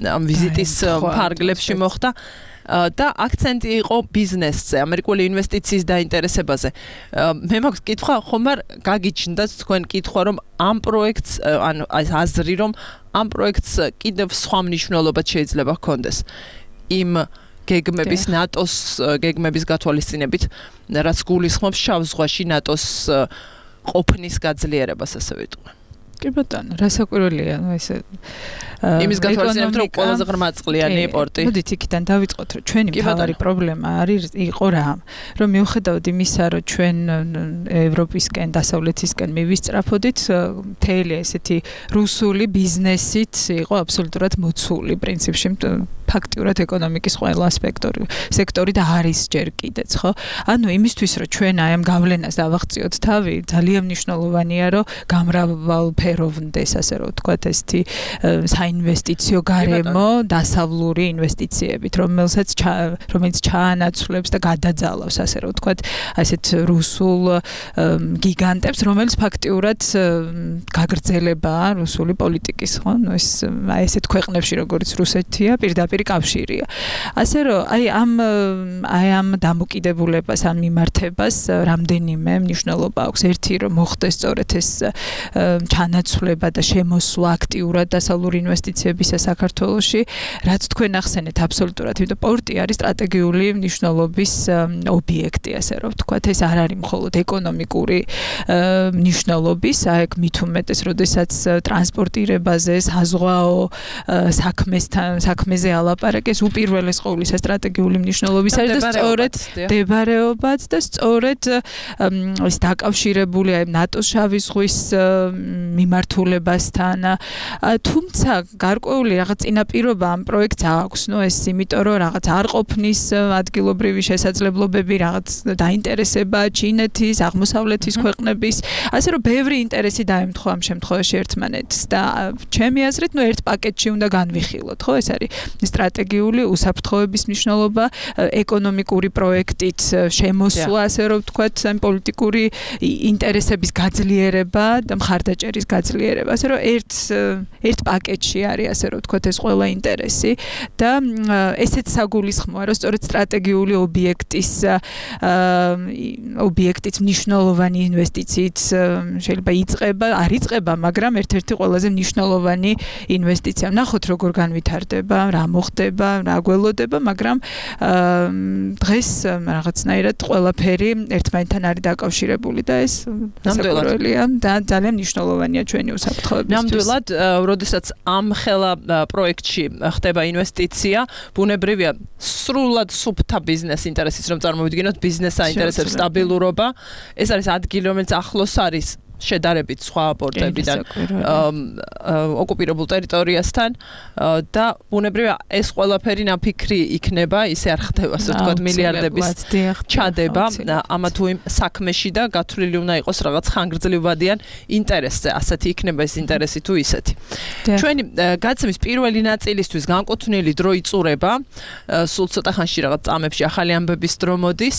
ამ ვიზიტის ფარგლებში მოხდა და აქცენტი იყო ბიზნესზე, ამერიკული ინვესტიციის დაინტერესებაზე. მე მაქვს კითხვა, ხომ არ გაგიჩნდათ თქვენ კითხვა, რომ ამ პროექტს, ანუ აზრი, რომ ამ პროექტს კიდევ სხვა მნიშვნელობა შეიძლება ჰქონდეს. იმ გეგმების ნატოს გეგმების გათვალისწინებით, რაც გულისხმობს შავ ზღვაში ნატოს ყოფნის გაძლიერებას, ასე ვიტყვი. კი ბატონო, რასაკვირველია, ესე იმის გათვალისწინებით, რომ ყველაზე ღრმაწყლიანი პორტი. მოდით იქიდან დავიწყოთ, რომ ჩვენი მთავარი პრობლემა იყო რა, რომ მიუხედავად იმისა, რომ ჩვენ ევროპისკენ, დასავლეთისკენ მივისწრაფოდით, მთელი ესეთი რუსული ბიზნესით იყო აბსოლუტურად მოცული პრინციპში ფაქტიურად ეკონომიკის ყველა სექტორი და არის ჯერ კიდეც, ხო? ანუ იმისთვის, რომ ჩვენ აი ამ გავლენას დავაღწიოთ თავი, ძალიან მნიშვნელოვანია, რომ გამრავალფეროვნდეს, ასე რომ ვთქვათ, ესეთი საინვესტიციო გარემო, დასავლური ინვესტიციებით, რომელიც ჩაანაცვლებს და გადაძალავს, ასე რომ ვთქვათ, ასეთ რუსულ გიგანტებს, რომელიც ფაქტიურად გაგრძელებაა რუსული პოლიტიკის, ხო? ნუ ეს აი ესეთ ქვეყნებში, როგორც რუსეთია, პირდაპირ კავშირია. ასე რომ აი ამ დამოკიდებულებას, ამ მიმართებას რამდენიმე მნიშვნელობა აქვს. ერთი რომ მოხდეს სწორედ ეს ჩანაცვლება და შემოსვლა აქტიურად დასავლური ინვესტიციებისა საქართველოში, რაც თქვენ ახსენეთ აბსოლუტურად, იმიტომ პორტი არის სტრატეგიული მნიშვნელობის ობიექტი, ასე რომ ვთქვათ, ეს არ არის მხოლოდ ეკონომიკური მნიშვნელობის, აქ მით უმეტეს, როდესაც ტრანსპორტირებაზე, საზღვაო საქმეზე ალაპარაკეს, უპირველეს ყოვლისა სტრატეგიული მნიშვნელობის არის და სწორედ მდებარეობაც და სწორედ ეს დაკავშირებული აი ნატოს შავი ზღვის მიმართულებასთან. თუმცა გარკვეული რაღაც წინაპირობა ამ პროექტს აქვს, ნუ ეს იმიტომ რომ რაღაც არ ყოფნის ადგილობრივი შესაძლებლობები, რაღაც დაინტერესება ჩინეთის, აღმოსავლეთის ქვეყნების, ასე რომ ბევრი ინტერესი დაემთხვა ამ შემთხვევაში ერთმანეთს და ჩემი აზრით, ნუ ერთ პაკეტში უნდა განვიხილოთ, ხო, ეს არის სტრატეგიული უსაფრთხოების მნიშვნელობა, ეკონომიკური პროექტით შემოსვლა, ასე რომ ვთქვათ, ამ პოლიტიკური ინტერესების გაძლიერება და მხარდაჭერის გაძლიერება, ასე რომ ერთ პაკეტში არის, ასე რომ ვთქვათ, ეს ყველა ინტერესი და ესეც საგულისხმოა, რომ სწორედ სტრატეგიული ობიექტის მნიშვნელოვანი ინვესტიციით შეიძლება არ იწყება, მაგრამ ერთ-ერთი ყველაზე მნიშვნელოვანი ინვესტიცია. ნახოთ როგორ განვითარდება, რა მოხდება, რა გველოდება, მაგრამ დღეს რაღაცნაირად ყველაფერი ერთმანეთთან არის დაკავშირებული და ეს ნამდვილადია და ძალიან მნიშვნელოვანია ჩვენი უსაფრთხოებისთვის. ნამდვილად, როდესაც ამ ხელა პროექტში ხდება ინვესტიცია, ბუნებრივია სრულად სუფთა ბიზნეს ინტერესის რომ წარმოვიდგინოთ, ბიზნეს აინტერესებს სტაბილურობა, ეს არის ადგილი, რომელიც ახლოს არის შედარებით სხვა პორტებიდან ოკუპირებულ ტერიტორიასთან და ბუნებრივია ეს ყველაფერი ნაფიქრი იქნება, ისე არ ხდება, ასე ვთქვათ, მილიარდების ჩადება ამა თუ იმ საქმეში და გათვლილი უნდა იყოს რაღაც ხანგრძლივადიან ინტერესზე, ასეთი იქნება ეს ინტერესი თუ ისეთი. ჩვენი გაცემის პირველი ნაწილისთვის განკუთვნილი დრო იწურება, სულ ცოტა ხანში რაღაც წამებში ახალი ამბების დრო მოდის.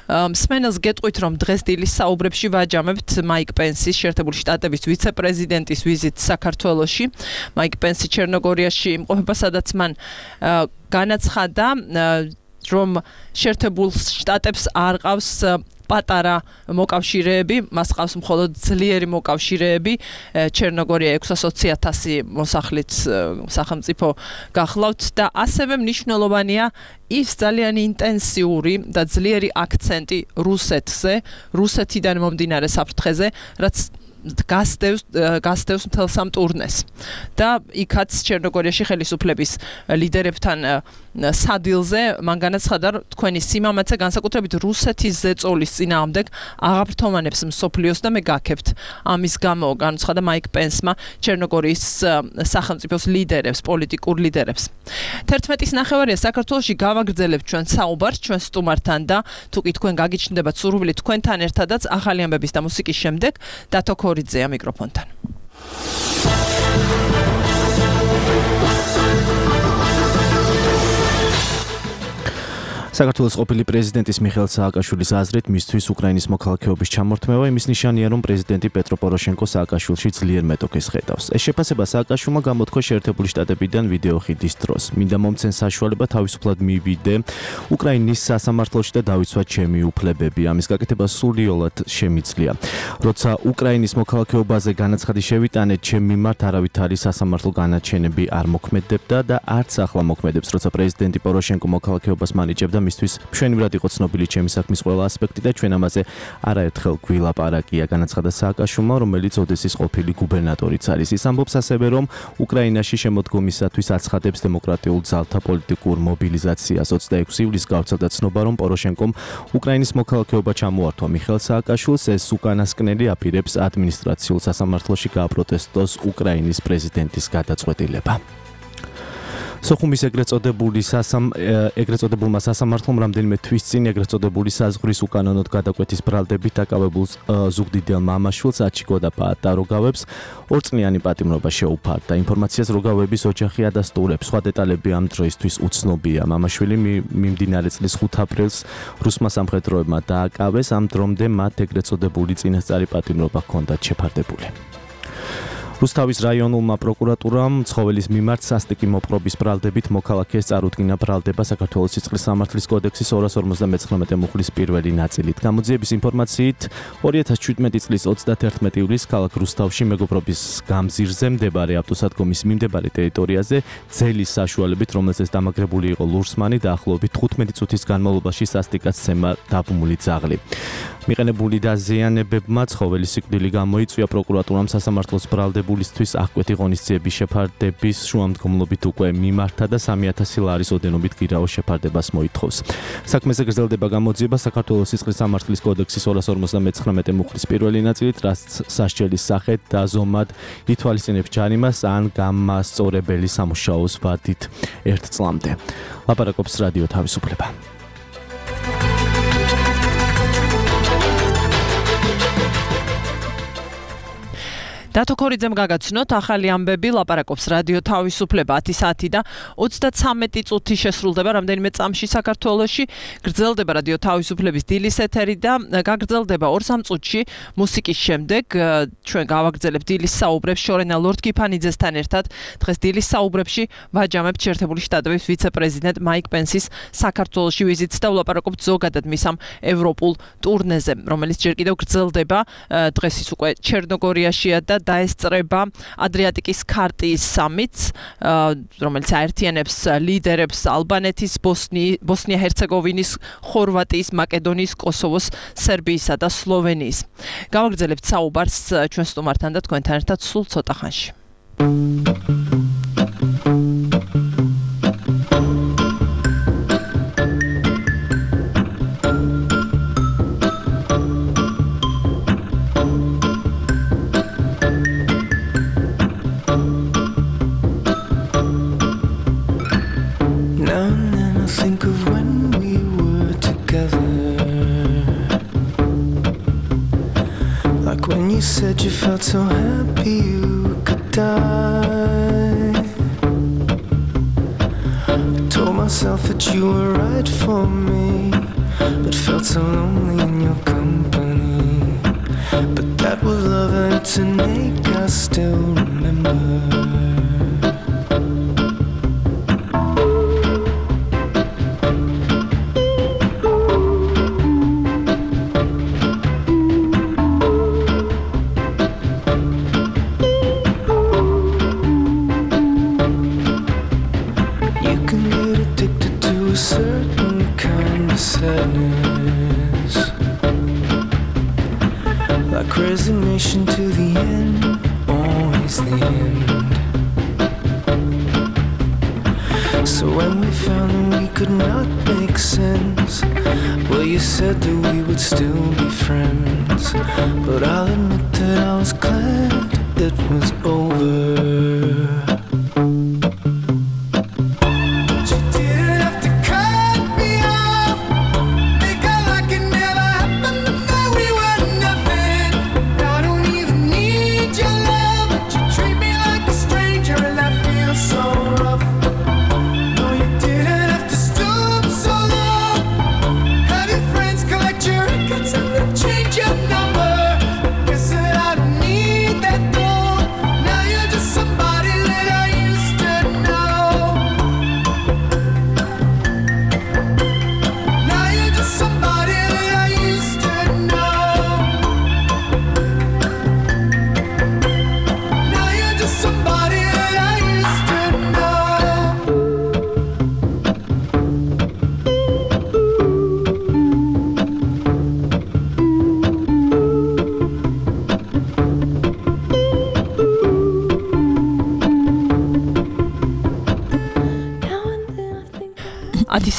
მსმენელს გეტყვით, რომ დღეს დილის საუბრებში ვაჯამებთ მაიკ პენსის შეერთებული შტატების ვიცე-პრეზიდენტის ვიზიტს საქართველოში. მაიკ პენსი ჩერნოგორიაში იმყოფება, სადაც მან განაცხადა, რომ შეერთებულ შტატებს არ ყავს პატარა მოკავშირეები, მას ყავს მხოლოდ ძლიერი მოკავშირეები. ჩერნოგორია 620,000 მოსახლით სახელმწიფო გახლავთ და ასევე მნიშვნელოვანია ის ძალიან ინტენსიური და ძლიერი აქცენტი რუსეთზე, რუსეთიდან მომდინარე საფრთხეზე, რაც გასდევს მთელ სამ ტურნეს და იქაც ჩერნოგორიაში ხელისუფლების ლიდერებთან სადილზე მან განაცხადა, რომ თქვენი სიმამაცე განსაკუთრებით რუსეთის ზეწოლის წინააღმდეგ აღაფრთოვანებს მსოფლიოს და მე გაქებთ. ამის გამო განაცხადა მაიკ პენსმა ჩერნოგორიის სახელმწიფოს ლიდერებს, პოლიტიკურ ლიდერებს. 11:09 საქართველოში გავაგრძელებთ ჩვენ საუბარს ჩვენ სტუმართან და თუ კი თქვენ გაგიჩნდებათ სურვილი თქვენთან ერთადაც ახალი ამბების და მუსიკის შემდეგ დათო ქორიძეა მიკროფონთან. საქართველოს ყოფილი პრეზიდენტის მიხეილ სააკაშვილის აზრით, მისთვის უკრაინის მოქალაქეობის ჩამორთმევა იმის ნიშანია, რომ პრეზიდენტი პეტრო პოროშენკო სააკაშვილში ძლიერ მეტოქეს ხედავს. ეს შეფასება სააკაშვილმა გამოთქვა შეერთებული შტატებიდან ვიდეო ხიდის დროს. მინდა მომცენ საშუალება თავისუფლად მივიდე უკრაინის სასამართლოში და დავიცვა ჩემი უფლებები. ამის გაკეთება სულიოლად შემიძლია. როცა უკრაინის მოქალაქეობაზე განაცხადი შევიტანე, ჩემ მიმართ არავითარი სასამართლო განაჩენები არ მოქმედებდა და არც ახლა მოქმედებს, როცა პრეზიდენტი პოროშენკო მოქალაქეობას მანიჭებდა მისთვის მშვენივრად იყო ცნობილი ჩემი საქმის ყველა ასპექტი და ჩვენ ამაზე არაერთხელ გვილაპარაკია, განაცხადა სააკაშვილმა, რომელიც ოდესის ყოფილი გუბერნატორიც არის. ის ამბობს ასევე, რომ უკრაინაში შემოდგომისათვის აცხადებს დემოკრატიულ ძალთა პოლიტიკურ მობილიზაციას. 26 ივლისს გავრცელდა ცნობა, რომ პოროშენკომ უკრაინის მოქალაქეობა ჩამოართვა მიხეილ სააკაშვილს. ეს უკანასკნელი აპირებს ადმინისტრაციულ სასამართლოში გააპროტესტოს უკრაინის პრეზიდენტის გადაწყვეტილება. სოხუმის ეგრეთ წოდებულმა სასამართლომ რამდენიმე თვის წინ ეგრეთ წოდებული საზღვრის უკანონოდ გადაკვეთის ბრალდებით დაკავებულ ზუგდიდელ მამაშვილს აჩიკო და პაატა როგავებს ორწლიანი პატიმრობა შეუფარდა. ინფორმაციას როგავების ოჯახი ადასტურებს. სხვა დეტალები ამ დროისთვის უცნობია. მამაშვილი მიმდინარე წლის 5 აპრილს რუსმა სამხედროებმა დააკავეს. ამ დრომდე მათ ეგრეთ წოდებული წინასწარი პატიმრობა ჰქონდათ შეფარდებული. რუსთავის რაიონულმა პროკურატურამ ცხოველის მიმართ სასტიკი მოპყრობის ბრალდებით მოქალაქეს წარუდგინა ბრალდება საქართველოს სიცხლის სამართლის კოდექსის 259 მუხლის პირველი ნაწილით. გამოძიების ინფორმაციით 2017 წლის 31 ივლისს ქალაქ რუსთავში მეგობრობის გამზირზე მდებარე ავტოსადგომის მიმდებარე ტერიტორიაზე ძელის საშუალებით, რომელზეც დამაგრებული იყო ლურსმანი, დაახლოებით 15 წუთის განმავლობაში სასტიკაცემა დაბმული ძაღლი. მიყენებული დაზიანებებმა ცხოველის სიკვდილი გამოიწვია. პროკურატურამ სასამართლოს ბრალდებულისთვის აღკვეთი ღონისძიების შეფარდების შუამდგომლობით უკვე მიმართა და 3000 ლარის ოდენობით გირაოს შეფარდებას მოითხოვს. საქმეზე გრძელდება გამოძიება საქართველოს სიცხლის სამართლის კოდექსის 259 მუხლის პირველი ნაწილით, რაც სასჯელის სახედ და ზომად ითვალისწინებს ჯარიმას ან გამასწორებელი სამუშაოს ვადით 1 წლამდე. ლაპარაკობს რადიო თავისუფლება. დათო ქორიძემ გაგაცნოთ ახალი ამბები, ლაპარაკობს რადიო თავისუფლება 10 საათი და 33 წუთი შესრულდება რამდენიმე წამში საქართველოში. გრძელდება რადიო თავისუფლების დილის ეთერი და გაგრძელდება 2-3 წუთში მუსიკის შემდეგ. ჩვენ გავაგრძელებთ დილის საუბრებს შორენა ლორდ-კიფანიძესთან ერთად. დღეს დილის საუბრებში ვაჯამებთ შეერთებული შტატების ვიცე-პრეზიდენტ მაიკ პენსის საქართველოში ვიზიტს და ვლაპარაკობთ ზოგადად მის ამ ევროპულ ტურნეზე, რომელიც ჯერ კიდევ გრძელდება. დღეს ის უკვე ჩერნოგორიაშია და დაესწრება ადრიატიკის ქარტიის სამიტს, რომელიც აერთიანებს ლიდერებს ალბანეთის, ბოსნია-ჰერცეგოვინის, ხორვატიის, მაკედონიის, კოსოვოს, სერბიისა და სლოვენიის. გავაგრძელებთ საუბარს ჩვენ სტუმართან და თქვენთან ერთად სულ ცოტა ხანში. Said you felt so happy you could die. I told myself that you were right for me, but felt so lonely in your company. But that was love and it's an ache I still remember. Resignation to the So when we found that we could not make sense, well, you said that we would still be friends. But I'll admit that I was glad it was over.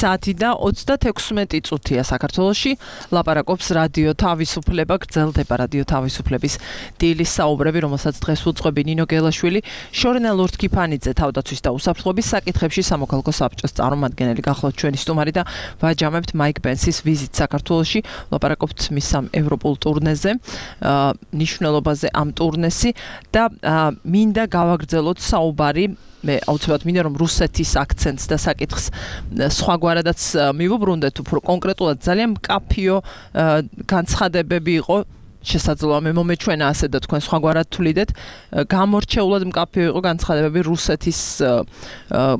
საათი და 36 წუთია საქართველოში ლაპარაკობს რადიო თავისუფლება გრძელდება რადიო თავისუფლების დილის საუბრები რომელსაც დღეს უძღვები ნინო გელაშვილი შორენა ლურთქიფანიძე თავდაცვის და უსაფრთხოების საკითხებში სამოქალაქო საბჭოს წარმომადგენელი გახლავთ ჩვენი სტუმარი და ვაჯამებთ მაიკ პენსის ვიზიტს საქართველოში ლაპარაკობთ მის სამ ევროპულ ტურნეზე ნიშნულობაზე ამ ტურნესი და მინდა გავაგრძელოთ საუბარი მე აუცილებლად მინდა რომ რუსეთის აქცენტს და საკითხს სხვაგვარადაც მივუბრუნდეთ უფრო კონკრეტულად ძალიან მკაფიო განცხადებები იყო შესაძლოა მე მომეჩვენა ასე და თქვენ სხვაგვარად თვლიდეთ გამორჩეულად მკაფიო იყო განცხადებები რუსეთის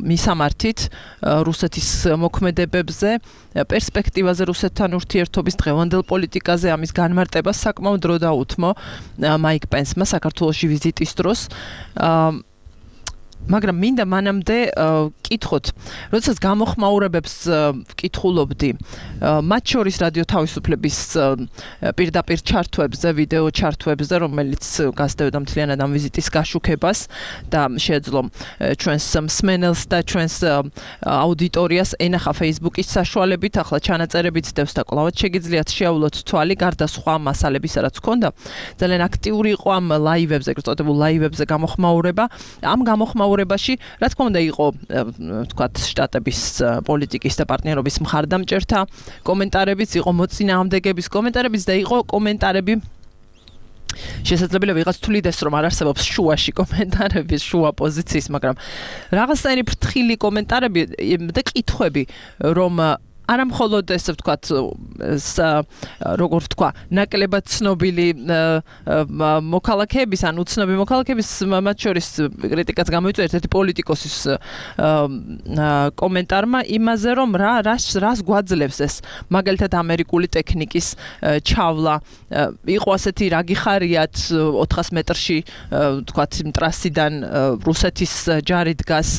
მისამართით რუსეთის მოქმედებებზე პერსპექტივაზე რუსეთთან ურთიერთობის დღევანდელ პოლიტიკაზე ამის განმარტებას საკმაოდ დრო დაუთმო მაიკ პენსმა საქართველოში ვიზიტის დროს მაგრამ მინდა მანამდე კითხოთ, როდესაც გამოხმაურებებს ვკითხულობდი, მათ შორის რადიო თავისუფლების პირდაპირ ჩართვებზე, ვიდეო ჩართვებზე, რომელიც გასდევდა მთლიანად ამ ვიზიტის გაშუქებას და შეეძლო ჩვენს მსმენელს და ჩვენს აუდიტორიას ენახა Facebook-ის საშუალებით, ახლა ჩანაწერებიც დევს და კვლავაც შეგიძლიათ შეავლოთ თვალი, გარდა სხვა მასალებისა, რაც ჰქონდა. ძალიან აქტიური იყო ამ ლაივებზე, ეგრეთ წოდებულ ლაივებზე გამოხმაურება. ამ გამოხმაურებაში, რა თქმა უნდა, იყო ვთქვათ, შტატების პოლიტიკის და პარტნიორობის მხარდამჭერთა კომენტარებიც, იყო მოწინააღმდეგების კომენტარებიც და იყო კომენტარები შესაძლებელია ვიღაც თვლიდეს რომ არ არსებობს შუაში კომენტარების შუა პოზიციის, მაგრამ რაღაცნაირი ფრთხილი კომენტარები და კითხვები რომ არა მხოლოდ ესე ვთქვათ როგორ ვთქვა ნაკლებად ცნობილი მოქალაქეების ან უცნობი მოქალაქეების მათ შორის კრიტიკაც გამოიწვია ერთ-ერთი პოლიტიკოსის კომენტარმა იმაზე რომ რას გვაძლევს ეს მაგალითად ამერიკული ტექნიკის ჩავლა იყო ასეთი რა გიხარიათ 400 მეტრში ვთქვათ ტრასიდან რუსეთის ჯარი დგას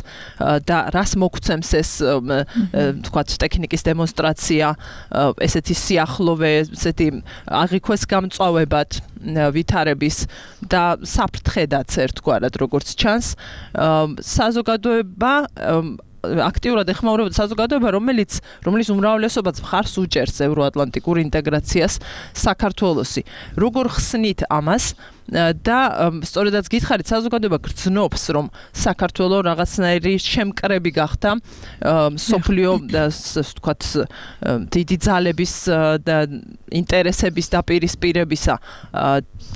და რას მოგცემს ეს ვთქვათ ტექნიკის დემონსტრაცია ესეთი სიახლოვე ესეთი აღიქვეს გამწვავებად ვითარების და საფრთხედაც ერთგვარად როგორც ჩანს საზოგადოება აქტიურად ეხმაურებოდა საზოგადოება რომელიც უმრავლესობაც მხარს უჭერს ევროატლანტიკურ ინტეგრაციას საქართველოსი როგორ ხსნით ამას და სწორედაც გითხარით საზოგადოება გრძნობს რომ საქართველო რაღაცნაირი შემკრები გახდა სოფლიო ვთქვათ დიდი ძალების და ინტერესების დაპირისპირებისა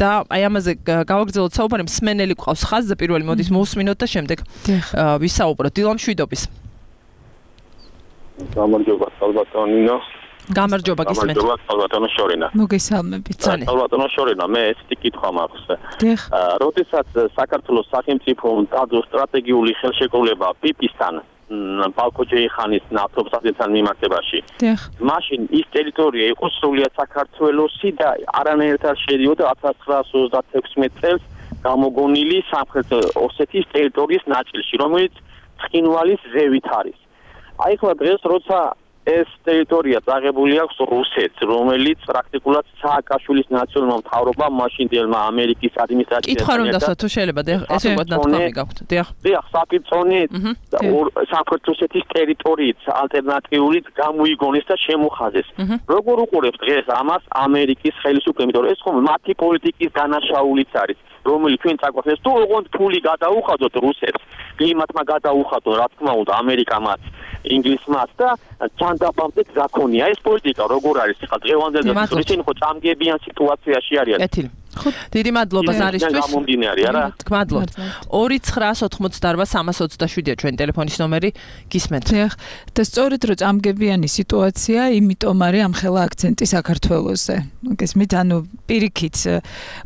და აი ამაზე გავაგრძელოთ საუბარი მსმენელი ყავს ხაზზე პირველი მოდის მოусმინოთ და შემდეგ ვისაუბროთ დილამშვიდობის გამარჯობა სალბატონინო გამარჯობა გისმენთ სალბატონო შორინა მოგესალმებით სალბატონო შორინა მე ესეთი კითხვა მაქვს როდესაც საქართველოს სახელმწიფომ დაძო სტრატეგიული ხელშეკრულება პიპისთან ბალკოჯეიხანის ნავთობსადენთან მიმართებაში მაშინ ის ტერიტორია იყო სრულიად საქართველოსი და არანაირად არ შედიოდა 1936 წელს გამოგონილი სამხრეთ ოსეთის ტერიტორიის ნაწილში რომელიც ცხინვალის ზევით არის აი ახლა დღეს როცა ეს ტერიტორია წაღებული აქვს რუსეთს, რომელიც პრაქტიკულად სააკაშვილის ნაციონალურმა მთავრობამ მაშინდელმა ამერიკის ადმინისტრაციასთან კითხვა რომ დასვა თუ შეიძლება ეს უკვე ნათქვამი გაქვთ. დიახ, საფრთხონი სამხრეთ რუსეთის ტერიტორიით ალტერნატიულით გამოიგონეს და შემოხაზეს. როგორ უყურებს დღეს ამას ამერიკის ხელისუფლება, იმიტომ რომ ეს ხომ მათი პოლიტიკის დანაშაულიც არის. რომელიც ჩვენ წაგვახსენეს თუ ოღონდ ფული გადაუხადოთ რუსეთს, კლიმატმა გადაუხადოთ, რა თქმა უნდა, ამერიკამაც, ინგლისმაც და ჯანდაბამდე გაქონია ეს პოლიტიკა როგორ არის ხა დღევანდელ და ისინი ხო წამგებიან სიტუაციაში არიან. კეთილი. ხო, დიდი მადლობა ზარისთვის. გამომდინარე არა? გმადლობთ. 2988327-ია ჩვენი ტელეფონის ნომერი, გისმენთ. და სწორედ რომ წამგებიანი სიტუაცია, იმიტომ არის ამ ხელა აქცენტი საქართველოზე. გესმით, ანუ პირიქით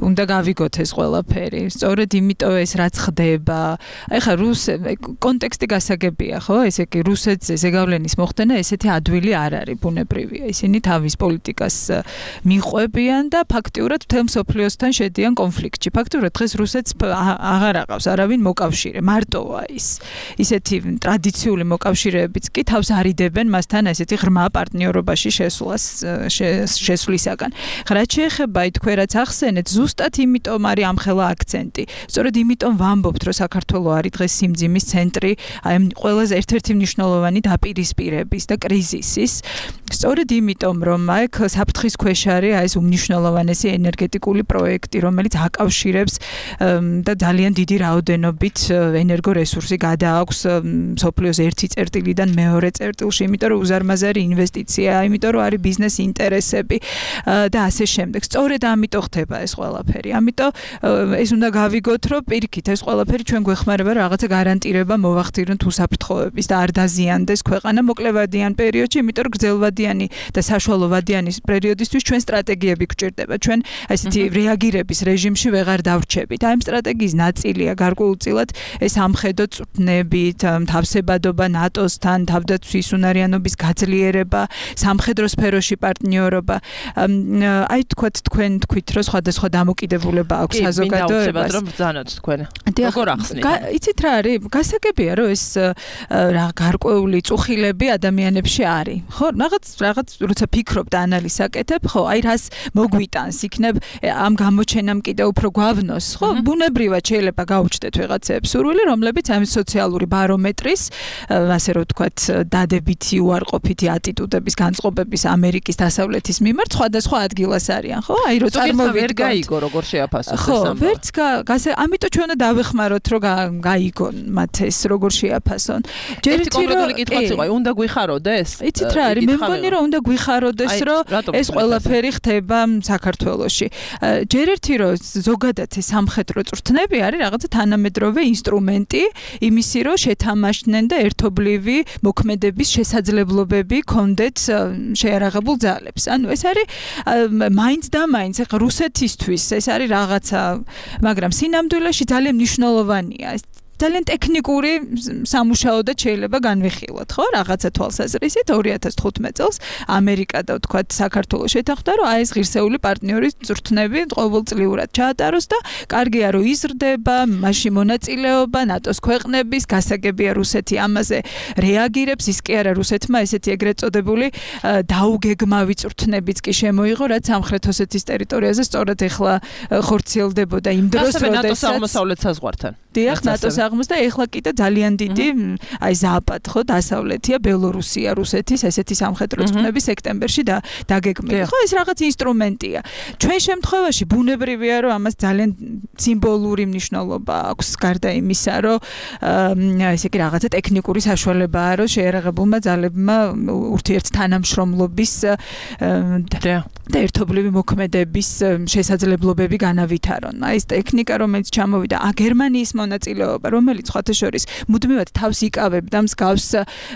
უნდა გავიგოთ ეს ყველაფერი. სწორედ იმიტომ ეს რაც ხდება. ეხლა კონტექსტი გასაგებია, ხო? ესე იგი რუსეთზე ზეგავლენის მოხდენა ესეთი ადვილი არ არის, ბუნებრივია. ისინი თავის პოლიტიკას მიყვებიან და ფაქტიურად მთელ მსოფლიოს თან შედიან კონფლიქტში. ფაქტობრივად დღეს რუსეთს აღარ აყავს არავინ მოკავშირე. მარტოა ის. ისეთი ტრადიციული მოკავშირეებიც კი თავს არიდებენ მასთან ესეთი ღრმა პარტნიორობაში შესვლისაგან. რაც შეეხება თქვენ რაც ახსენეთ, ზუსტად იმიტომ არის ამ ხელა აქცენტი. სწორედ იმიტომ ვამბობთ, რომ საქართველო არის დღეს სიმძიმის ცენტრი, აი ყველაზე ერთ-ერთი მნიშვნელოვანი დაპირისპირების და კრიზისის. სწორედ იმიტომ, რომ აქ საფრთხის ქვეშ არის ეს უმნიშვნელოვანესი ენერგეტიკული პროექტი, რომელიც აკავშირებს და ძალიან დიდი რაოდენობით ენერგორესურსი გადააქვს მსოფლიოს ერთი წერტილიდან მეორე წერტილში, იმიტომ რომ უზარმაზარი ინვესტიცია, იმიტომ რომ არის ბიზნეს ინტერესები და ასე შემდეგ. სწორედ ამიტომ ხდება ეს ყველაფერი. ამიტომ ეს უნდა გავიგოთ, რომ პირიქით ეს ყველაფერი ჩვენ გვეხმარება რაღაცა გარანტირება მოვახდინოთ უსაფრთხოების და არ დაზიანდეს ქვეყანა მოკლევადიან პერიოდში, იმიტომ რომ გრძელვადიანი და საშუალოვადიანი პერიოდისთვის ჩვენ სტრატეგიები გვჭირდება. ჩვენ ასეთი რეაგირების რეჟიმში ვეღარ დავრჩებით. აი ამ სტრატეგიის ნაწილია გარკვეულწილად ეს ამხედო წვნებით, თავსებადობა ნატოსთან, თავდაცვის უნარიანობის გაძლიერება, სამხედრო სფეროში პარტნიორობა. აი თქვენ თქვით, რომ სხვადასხვა დამოკიდებულება აქვს საზოგადოებას. რომ ბრძანოთ თქვენ. როგორ ახსნით? იცით რა არის? გასაგებია, რომ ეს გარკვეული წუხილები ადამიანებში არის. ხო, რაღაც როცა ფიქრობ და ანალიზს აკეთებ, ხო, აი რას მოგვიტანს იქნებ ამ გამოჩენამ კიდე უფრო გვავნოს, ხო? ბუნებრივად შეიძლება გაუჩნდეთ ვიღაცებს სურვილი, რომლებიც ამ სოციალური ბარომეტრის, ასე რომ ვთქვათ, დადებითი უარყოფითი ატიტუდების განწყობების ამერიკის დასავლეთის მიმართ სხვადასხვა ადგილას არიან, ხო? აი რო წარმოვიდგინოთ, ვერ გაიგო როგორ შეაფასოს ეს ამბავი. ხო, ვერც ამიტომ ჩვენ უნდა დავეხმაროთ, რომ გაიგონ მათ ეს როგორ შეაფასონ. ერთი კონკრეტული კითხვაც იყო, უნდა გვიხაროდეს? იცით რა არის? მე მგონი რომ უნდა გვიხაროდეს, რომ ეს ყველაფერი ხდება საქართველოში. ჯერ ერთი რომ ზოგადად ეს სამხედრო წვრთნები არის რაღაცა თანამედროვე ინსტრუმენტი იმისი რომ შეთამაშდნენ და ერთობლივი მოქმედების შესაძლებლობები ქონდეთ შეიარაღებულ ძალებს. ანუ ეს არის მაინც და მაინც რუსეთისთვის ეს არის რაღაცა, მაგრამ სინამდვილეში ძალიან მნიშვნელოვანია. ძალიან ტექნიკური სამუშაოდაც შეიძლება განვიხილოთ, ხო? რაღაცა თვალსაზრისით 2015 წელს ამერიკა და ვთქვათ საქართველოს შეთანხმდა, რომ აი ეს ღირსეული პარტნიორის წვრთნები ყოველწლიურად ჩაატაროს და კარგია რომ იზრდება, მასში მონაწილეობა ნატოს ქვეყნების, გასაგებია რუსეთი ამაზე რეაგირებს, ის კი არა რუსეთმა ესეთი ეგრეთ წოდებული დაუგეგმავი წვრთნებიც კი შემოიღო, რაც სამხრეთ ოსეთის ტერიტორიაზე სწორად ეხლა ხორციელდებოდა იმ დროს, როდესაც ნატოს აღმოსავლეთ საზღვართან. დიახ, ნატოს და ეხლა კიდე ძალიან დიდი აი ზაპად ხო დასავლეთია ბელორუსია რუსეთის ესეთი სამხედრო წვრთნები სექტემბერში დაგეგმილი. ხო ეს რაღაც ინსტრუმენტია. ჩვენ შემთხვევაში ბუნებრივია რომ ამას ძალიან სიმბოლური მნიშვნელობა აქვს გარდა იმისა რომ ესე იგი რაღაცა ტექნიკური საშუალებაა რომ შეერაღებულმა ძალებმა ურთიერთთანამშრომლობის და ერთობლივი მოქმედების შესაძლებლობები განავითარონ. აი ეს ტექნიკა რომელიც ჩამოვიდა გერმანიის მონაწილეობა რომელიც სხვათა შორის მუდმივად თავს იკავებდა მსგავს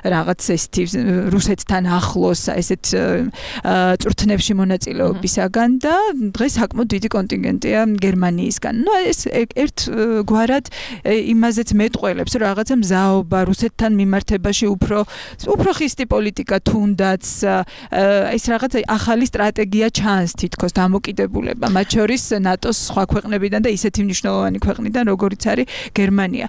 რაღაც ესეთი რუსეთთან ახლოს ესეთ წვრთნებში მონაწილეობისაგან და დღეს საკმაოდ დიდი კონტინგენტია გერმანიისგან. ნუ ეს ერთგვარად იმაზეც მეტყველებს რომ რაღაცა მზაობა რუსეთთან მიმართებაში უფრო ხისტი პოლიტიკა თუნდაც ეს რაღაცა ახალი სტრატეგია ჩანს თითქოს დამოკიდებულება მათ შორის ნატოს სხვა ქვეყნებიდან და ისეთი მნიშვნელოვანი ქვეყნიდან როგორიც არის გერმანია.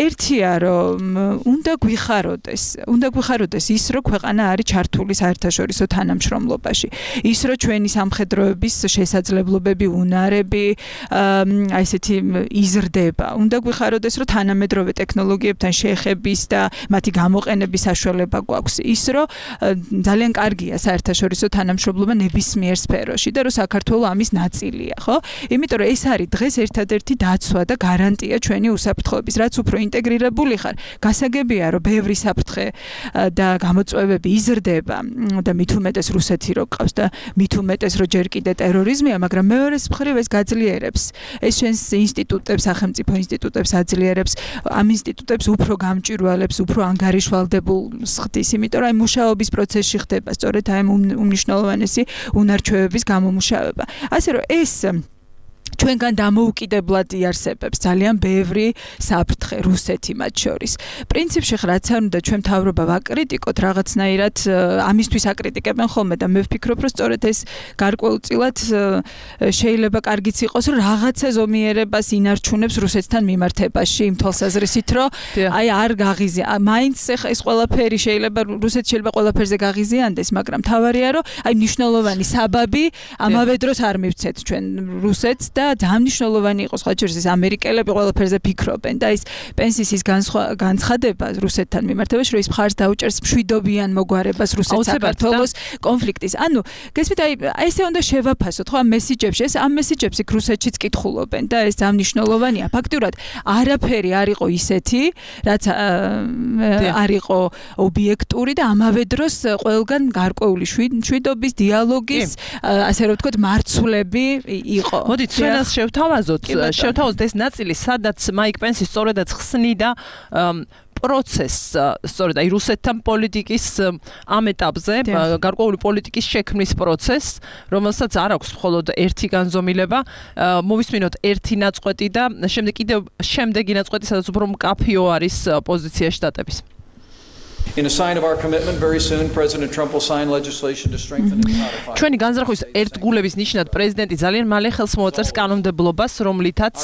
ერთია რომ უნდა გვიხაროდეს ის რომ ქვეყანა არის ჩართული საერთაშორისო თანამშრომლობაში ის რომ ჩვენი სამხედროების შესაძლებლობები უნარები აი ესეთი იზრდება უნდა გვიხაროდეს რომ თანამედროვე ტექნოლოგიებთან შეხების და მათი გამოყენების საშუალება გვაქვს ის რომ ძალიან კარგია საერთაშორისო თანამშრომლობა ნებისმიერ სფეროში და რომ საქართველო ამის ნაწილია ხო იმიტომ რომ ეს არის დღეს ერთადერთი დაცვა და გარანტია ჩვენი უსაფრთხოების რაც უფრო ინტეგრირებული ხარ გასაგებია რომ ბევრი საფრთხე და გამოწვევები იზრდება და მით უმეტეს რუსეთი რო ყავს და მით უმეტეს რომ ჯერ კიდე ტერორიზმია მაგრამ მეორეს მხრივ ეს გაძლიერებს ეს ჩვენს ინსტიტუტებს სახელმწიფო ინსტიტუტებს აძლიერებს ამ ინსტიტუტებს უფრო გამჭვირვალებს უფრო ანგარიშვალდებულს ხდის იმიტომ რომ აი მუშაობის პროცესში ხდება სწორედ აი უმნიშვნელოვანესი უნარჩვევების გამომუშავება ასე რომ ეს ჩვენგან დამოუკიდებლად იარსებებს ძალიან ბევრი საფრთხე რუსეთი მათ შორის. პრინციპში რაც არ უნდა ჩვენ მთავრობა ვაკრიტიკოთ რაღაცნაირად ამისთვის აკრიტიკებენ ხოლმე და მე ვფიქრობ რომ სწორედ ეს გარკვეულწილად შეიძლება კარგიც იყოს რომ რაღაცა ზომიერებას ინარჩუნებს რუსეთთან მიმართებაში იმ თვალსაზრისით რომ აი არ გაღიზია მაინც ეს ყველაფერი შეიძლება რუსეთი შეიძლება ყველაფერზე გაღიზიანდეს მაგრამ თავარია რომ აი მნიშვნელოვანი საბაბი ამავე დროს არ მივცეთ ჩვენ რუსეთს და ძალიან მნიშვნელოვანი იყო სხვა შორის ამერიკელები ყველაფერზე ფიქრობენ და ის პენსიის განცხადება რუსეთთან მიმართებაში რომ ის მხარს დაუჭერს მშვიდობიან მოგვარებას რუსეთ-საქართველოს კონფლიქტის. ანუ გესმით აი ესე უნდა შევაფასოთ ხო ამ მესიჯებში ეს ამ მესიჯებში რუსეთშიც კითხულობენ და ეს ძალიან მნიშვნელოვანია. ფაქტურად არაფერი არ იყო ისეთი რაც არ იყო ობიექტური და ამავე დროს ყველგან გარკვეული მშვიდობის დიალოგის ასე რომ ვთქვათ მარცვლები იყო. მოდით ჩვენას შევთავაზოთ ეს ნაწილი სადაც მაიკ პენსი სწორედაც ხსნიდა პროცესს სწორედ აი რუსეთთან პოლიტიკის ამ ეტაპზე გარკვეული პოლიტიკის შექმნის პროცესს რომელსაც არ აქვს მხოლოდ ერთი განზომილება მოვისმინოთ ერთი ნაწყვეტი და შემდეგი ნაწყვეტი სადაც უფრო მკაფიო არის პოზიცია შტატების In a sign of our commitment, very soon President Trump will sign legislation to strengthen and codify. ჩვენი განზრახვის ერთგულების ნიშნად პრეზიდენტი ძალიან მალე ხელს მოაწერს კანონმდებლობას, რომლითაც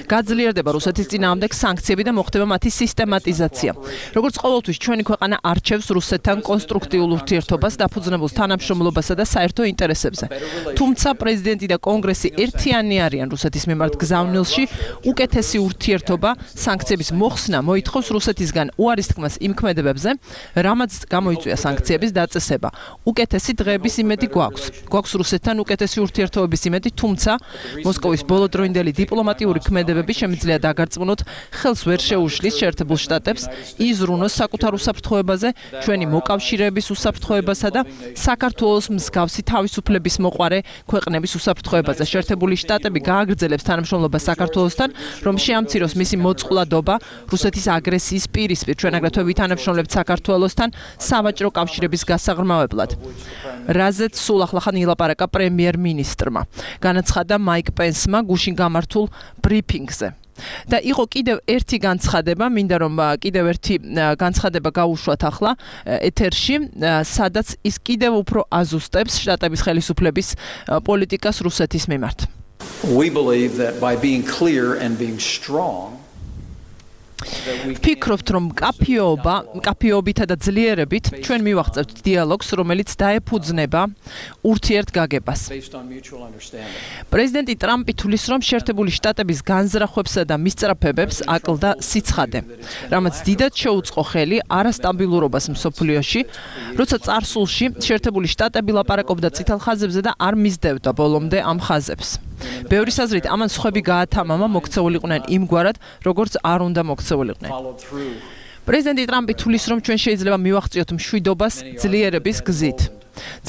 გაძლიერდება რუსეთის წინააღმდეგ სანქციები და მოხდება მათი სისტემატიზაცია. როგორც ყოველთვის ჩვენი ქვეყანა არჩევს რუსეთთან კონსტრუქტიულ ურთიერთობას, დაფუძნებულ თანამშრომლობასა და საერთო ინტერესებზე. თუმცა პრეზიდენტი და კონგრესი ერთიანი არიან რუსეთის მიმართ გზავნილში, უკეთესი ურთიერთობა, სანქციების მოხსნა მოითხოვს რუსეთისგან უარის თქმას იმ ქმედებებზე რამაც გამოიწვია სანქციების დაწესება. უკეთესი დღეების იმედი გვაქვს. გვაქვს რუსეთთან უკეთესი ურთიერთობების იმედი, თუმცა მოსკოვის ბოლოდროინდელი დიპლომატიური ქმედებები შემიძლია დაგარწმუნოთ, ხელს ვერ შეუშლის შეერთებულ შტატებს იზრუნოს საკუთარ უსაფრთხოებაზე, ჩვენი მოკავშირეების უსაფრთხოებასა და საქართველოს მსგავსი თავისუფლების მოყვარე ქვეყნების უსაფრთხოებაზე. შეერთებული შტატები გააგრძელებს თანამშრომლობას საქართველოსთან, რომ შეამციროს მისი მოწყვლადობა რუსეთის აგრესიის პირისპირ. ჩვენ აგრეთვე ვითანამშრომლებთ საქართველოსთან სავაჭრო კავშირების გასაღრმავებლად. რაზეც სულ ახლახან ილაპარაკა პრემიერ-მინისტრმა. განაცხადა მაიკ პენსმა გუშინ გამართულ ბრიფინგზე. და იყო კიდევ ერთი განცხადება, მინდა რომ კიდევ ერთი განცხადება გავუშვათ ახლა ეთერში, სადაც ის კიდევ უფრო აზუსტებს შტატების ხელისუფლების პოლიტიკას რუსეთის მიმართ. We believe that by being clear and being strong ფიქრობთ რომ მკაფიობითა და ძლიერებით ჩვენ მივაღწევთ დიალოგს რომელიც დაეფუძნება ურთიერთგაგებას. პრეზიდენტი ტრამპი თulis რომ შეერთებული შტატების განზრახვებსა და მისწრაფებებს აკლდა სიცხადე, რამაც დიდად შეუწყო ხელი არასტაბილურობას მსოფლიოში, როცა წარსულში შეერთებული შტატები ლაპარაკობდა წითელ ხაზებზე და არ მისდევდა ბოლომდე ამ ხაზებს. ბევრის აზრით ამან სხვები გაათამამა მოქცეულიყვნენ იმგვარად, როგორც არ უნდა მოქცეულიყვნენ. პრეზიდენტი ტრამპი თulis რომ ჩვენ შეიძლება მივაღწიოთ მშვიდობას ძლიერების გზით.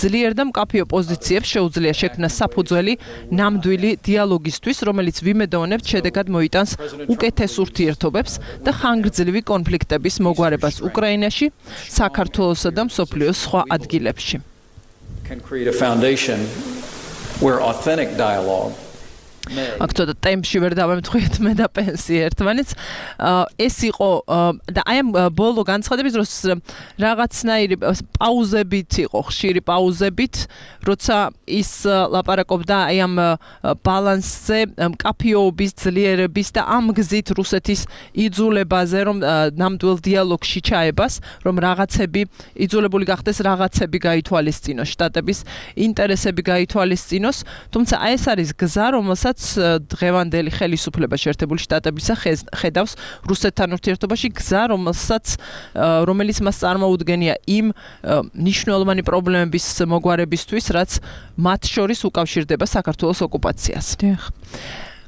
ძლიერ და მკაფიო პოზიციებს შეუძლია შექმნა საფუძველი ნამდვილი დიალოგისთვის, რომელიც ვიმედოვნებთ შედეგად მოიტანს უკეთეს ურთიერთობებს და ხანგრძლივი კონფლიქტების მოგვარებას უკრაინაში, საქართველოსა და მსოფლიოს სხვა ადგილებში. Can create a foundation where authentic dialogue აქ ცოტა ტემპში ვერ დავემთხვიეთ მე და პენსი ერთმანეთს. ეს იყო და აი ამ ბოლო განცხადების დროს რაღაცნაირი პაუზებით იყო, ხშირი პაუზებით, როცა ის ლაპარაკობდა აი ამ ბალანსზე, მკაფიობის, ძლიერების და ამ გზით რუსეთის იძულებაზე, რომ ნამდვილ დიალოგში ჩაებას, რომ რაღაცები იძულებული გახდეს, რაღაცები გაითვალისწინოს, შტატების ინტერესები გაითვალისწინოს, თუმცა აი ეს არის გზა, რომელსაც დღევანდელი ხელისუფლება შეერთებული შტატებისა ხედავს რუსეთთან ურთიერთობაში, გზა, რომელიც მას წარმოუდგენია იმ მნიშვნელოვანი პრობლემების მოგვარებისთვის, რაც მათ შორის უკავშირდება საქართველოს ოკუპაციას.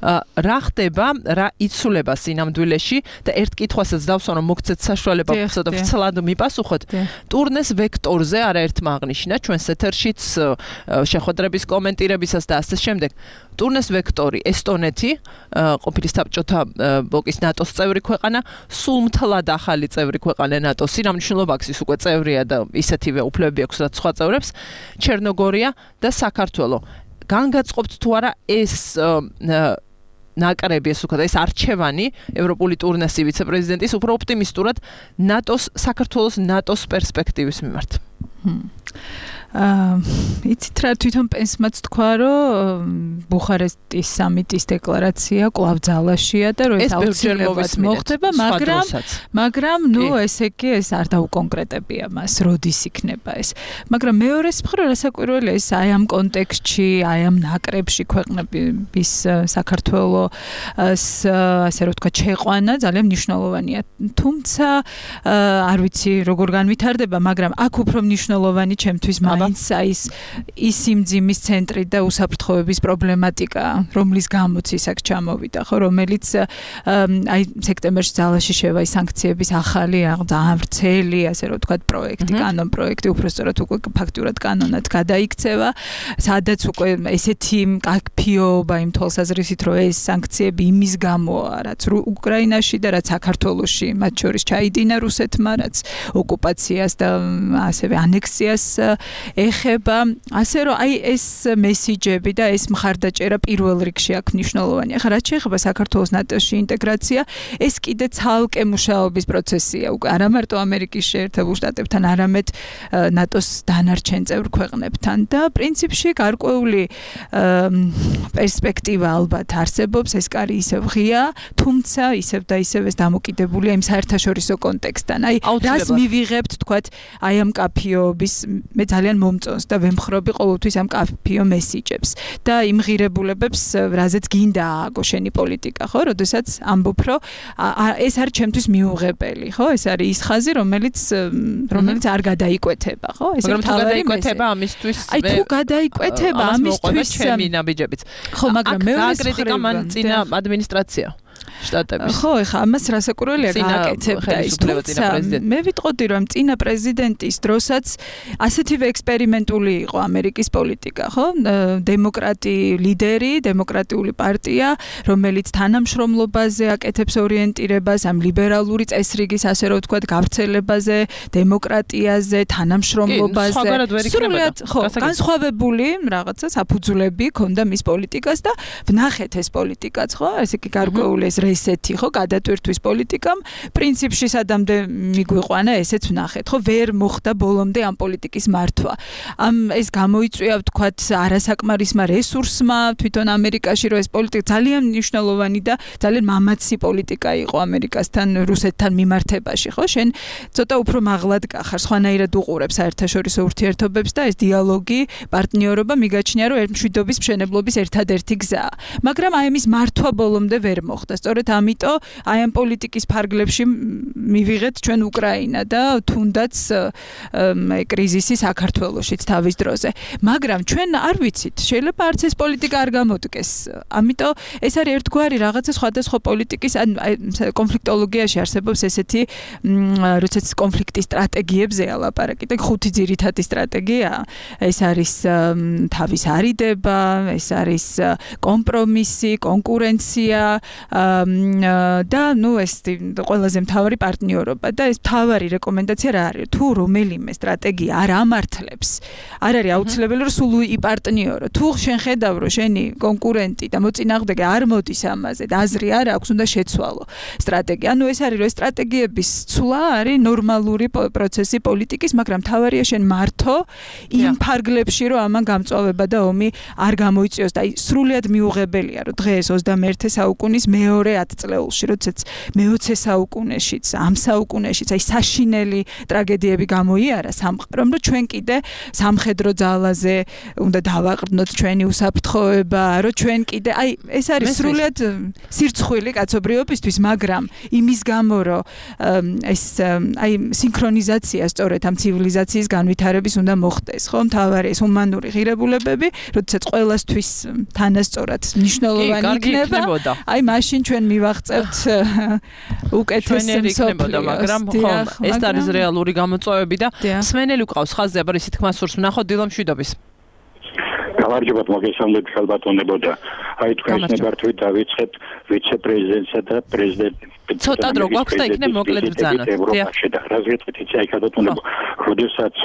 რა ხდება, რა იცვლება სინამდვილეში და ერთ კითხვასაც დავსვან, რომ მოგცეთ საშუალება ცოტა ვრცლად მიპასუხოთ. ტურნეს ვექტორზე არაერთმა აღნიშნა ჩვენს ეთერშიც შეხვედრების კომენტირებისას და ასე შემდეგ. ტურნეს ვექტორი ესტონეთი, ყოფილი საბჭოთა ბლოკის ნატოს წევრი ქვეყანა, სულ მთლად ახალი წევრი ქვეყანა ნატოს, სინამდვილეში ის უკვე წევრია და ისეთივე უფლებები აქვს რაც სხვა წევრებს, ჩერნოგორია და საქართველო. განგაწყობთ თუ არა ეს ნაკრები, ეს უქადა ეს არჩევანი ევროპული ტურნესის ვიცე-პრეზიდენტის უფრო ოპტიმისტურად საქართველოს ნატოს პერსპექტივის მიმართ. იცით რა თვითონ პენსმაც თქვა, რომ ბუხარესტის სამიტის დეკლარაცია კვლავ ძალაშია და რომ ეს აუცილებლად მოხდება, მაგრამ ნუ ესე კი ეს არ დაუკონკრეტებია მას, როდის იქნება ეს. მაგრამ მეორეს მხრივ რასაკვირველია ეს აი ამ კონტექსტში, აი ამ ნაკრებში ქვეყნების საქართველოს ასე რომ თქვა შეყვანა ძალიან მნიშვნელოვანია. თუმცა არ ვიცი როგორ განვითარდება, მაგრამ აქ უფრო მნიშვნელოვანი ჩემთვის ის სიმძიმის ცენტრი და უსაფრთხოების პრობლემატიკა, რომლის გამოც ის აქ ჩამოვიდა, ხო, რომელიც აი სექტემბერში ძალაში შევა ის სანქციების ახალი ძალიან ვრცელი, ასე რომ ვთქვათ, პროექტი, კანონ პროექტი, უბრალოდ უკვე ფაქტურად კანონად გადაიქცევა, სადაც უკვე ესეთი მკაფიობა იმ თვალსაზრისით, რომ ეს სანქციები იმის გამოა, რაც უკრაინაში და რაც საქართველოში, მათ შორის ჩაიდინა რუსეთმა, რაც ოკუპაციას და ასევე ანექსიას ეხება, ასე რომ აი ეს მესიჯები და ეს მხარდაჭერა პირველ რიგში აქ მნიშვნელოვანია. ახლა რაც შეეხება საქართველოს ნატოში ინტეგრაცია, ეს კიდე ცალკე მუშაობის პროცესია. უკვე არა მარტო ამერიკის შეერთებულ შტატებთან, არამედ ნატოს დანარჩენ წევრ ქვეყნებთან და პრინციპში გარკვეული პერსპექტივა ალბათ არსებობს, ეს კარი ისევ ღია, თუმცა ისევ და ისევ ეს დამოკიდებულია იმ საერთაშორისო კონტექსტთან. აი რას მივიღებთ, თქვათ, აი ამ კაფიობის მე ძალიან მომწონს და ვემხრობი ყოველთვის ამ კაფიო მესიჯებს და იმ ღირებულებებს, რაზეც გინდა ააგო შენი პოლიტიკა, ხო? როდესაც ამბობ, რომ ეს არის ჩემთვის მიუღებელი, ხო? ეს არის ის ხაზი, რომელიც არ გადაიკვეთება, ხო? ეს მაგრამ თუ გადაიკვეთება ამისთვის აი თუ გადაიკვეთება ამისთვის ჩემი ნაბიჯებით. ხო, მაგრამ მეორე კრიტიკა მან წინა ადმინისტრაცია შტატების. ხო, ეხა ამას რასაკვირველია გააკეთებდა ის, თუმცა მე ვიტყოდი, რომ წინა პრეზიდენტის დროსაც ასეთივე ექსპერიმენტული იყო ამერიკის პოლიტიკა, ხო? დემოკრატი ლიდერი, დემოკრატიული პარტია, რომელიც თანამშრომლობაზე აკეთებს ორიენტირებას, ამ ლიბერალური წესრიგის, ასე რომ ვთქვათ, გავრცელებაზე, დემოკრატიაზე, თანამშრომლობაზე. სრულად, ხო, განსხვავებული რაღაცა საფუძვლები ქონდა მის პოლიტიკას და ვნახეთ ეს პოლიტიკაც, ხო? ესე იგი გარკვეული ეს ესეთი, ხო, გადატვირთვის პოლიტიკამ, პრინციპში სადამდე მიგვიყვანა, ესეც ვნახეთ, ხო, ვერ მოხდა ბოლომდე ამ პოლიტიკის მართვა. ეს გამოიწვია, ვთქვათ, არასაკმარისმა რესურსმა, თვითონ ამერიკაში, რომ ეს პოლიტიკა ძალიან მნიშვნელოვანი და ძალიან მამაცი პოლიტიკა იყო ამერიკასთან, რუსეთთან მიმართებაში, ხო? შენ ცოტა უფრო მაღლად გახარ, სხვანაირად უყურებ საერთაშორისო ურთიერთობებს და ეს დიალოგი, პარტნიორობა მიგაჩნია, რომ მშვიდობის მშენებლობის ერთადერთი გზაა. მაგრამ აი ამის მართვა ბოლომდე ვერ მოხდა. სწორედ ამიტომ აი ამ პოლიტიკის ფარგლებში მივიღეთ ჩვენ უკრაინა და თუნდაც კრიზისი საქართველოშიც თავის დროზე. მაგრამ ჩვენ არ ვიცით, შეიძლება არც ეს პოლიტიკა არ გამოდგეს. ამიტომ ეს არის ერთგვარი რაღაცა სხვადასხვა პოლიტიკის კონფლიქტოლოგიაში არსებობს ესეთი, როდესაც კონფლიქტის სტრატეგიებზეა ლაპარაკი და ხუთი ძირითადი სტრატეგია. ეს არის თავის არიდება, ეს არის კომპრომისი, კონკურენცია, და ეს ყველაზე მთავარი პარტნიორობა და ეს მთავარი რეკომენდაცია რა არის? თუ რომელიმე სტრატეგია არ ამართლებს, არ არის აუცილებელი რომ სულ იპარტნიორო. თუ შენ ხედავ რომ შენი კონკურენტი და მოწინააღმდეგე არ მოდის ამაზე და აზრი არ აქვს, უნდა შეცვალო სტრატეგია. ეს არის რომ სტრატეგიების ცვლა არის ნორმალური პროცესი პოლიტიკის, მაგრამ მთავარია შენ მართო იმ ფარგლებში რომ ამან გამწვავება და ომი არ გამოიწვიოს და სრულიად მიუღებელია რომ დღეს 21 საუკუნის მეორე 10 წლეულში, როდესაც მე-20 საუკუნეშიც, ამ საუკუნეშიც საშინელი ტრაგედიები გამოიარა სამყარომ, რომ ჩვენ კიდე სამხედრო ძალაზე უნდა დავაყრდნოთ ჩვენი უსაფრთხოება, რომ ჩვენ კიდე ეს არის სრულიად სირცხვილი კაცობრიობისთვის, მაგრამ იმის გამო რომ ეს სინქრონიზაცია სწორედ ამ ცივილიზაციის განვითარების უნდა მოხდეს, ხო? მთავარი ეს ჰუმანური ღირებულებები, როდესაც ყველასთვის თანასწორად მნიშვნელოვანი იქნება, მაშინ ჩვენ მივაღწევთ უკეთეს მსოფლიოს, მაგრამ ხო, ეს არის რეალური გამოწვევები და მსმენელი ყავს ხაზზე, აბა ისეთ თქმას სურს ვნახოთ დილა მშვიდობის. გამარჯობა, მოგესალმებით ხალბატონებო და თქვენს ნებართვით დავიწყეთ ვიცე-პრეზიდენტსა და პრეზიდენტ ცოტა დრო გვაქვს და იქნებ მოკლედ ბრძანოთ. ევროპაში და რაზეც იცი აი ხალბატონებო, როდესაც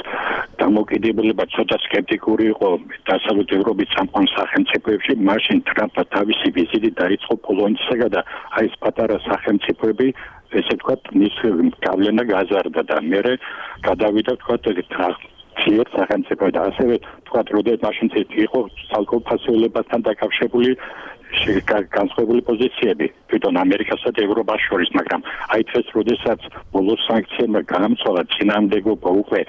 დამოკიდებულება ცოტა სკეპტიკური იყო დასავლეთ ევროპის სამყარო სახელმწიფოებში, მაშინ ტრამპმა თავისი ვიზიტი დაიწყო პოლონეთსა და აი ეს პატარა სახელმწიფოები ესე ვთქვათ, მის გავლენა გაზარდა და მე გადავიდა ვთქვათ ძლიერ სახელმწიფო და ასევე ვთქვათ, როდესაც მაშინ იყო ცალკეულ ფასეულებასთან დაკავშირებული განსხვავებული პოზიციები თვითონ ამერიკასა და ევროპას შორის, მაგრამ აი დღეს როდესაც ბოლოს საnkციებმა განამცვალა წინააღმდეგობა უკვე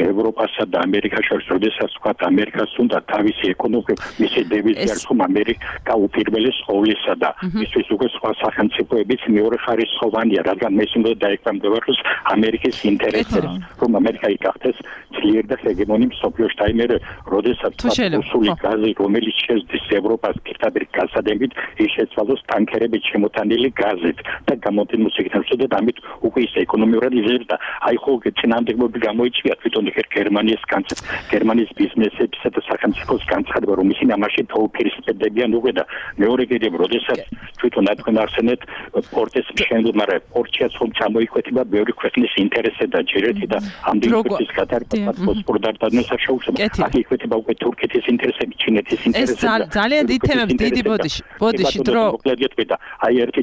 ევროპასა და ამერიკას შორის, როდესაც ვთქვათ ამერიკას უნდა თავისი ეკონომიკა მისი დევიზი არის ხომ ამერიკა უპირველეს ყოვლისა და ისიც უკვე სხვა სახელმწიფოებიც მეორე ხარისხოვანია, რადგან მე უნდა დაეკვემდებაროს ამერიკის ინტერესებს, რომ ამერიკა იქახდეს ძლიერ და ჰეგემონი მსოფლიოში. აი მე როდესაც რუსული გაზი, რომელიც შეძდის ევროპას პირდაპირ გასადებით, ის შეცვალოს ტანკერებით შემოტანილი გაზით და გამოდიმოს იქნებს და ამით უკვე ის ეკონომიურად იზრდება და აი ხო წინააღმდეგობები გამოიწვია თვითონ გერმანიის ბიზნესებისა და სახელმწიფოს განცხადება, რომ ისინი ამაში თოუფირისპირდებიან უკვე და მეორე კიდევ როდესაც თვითონ თქვენ ახსენეთ პორტის მშენებლობა, პორტიაც ხომ ჩამოიკვეთება ბევრი ქვეყნის ინტერესზე და ჯერეთი და ამდენი ქვეყნის გადარკვევა ბოსპორდარდანს შეუშვება. აქ იკვეთება უკვე თურქეთის ინტერესები, ჩინეთის ინტერესები. ეს ძალიან დიდ თემებს დიდი ბოდიში დრო. აი ერთი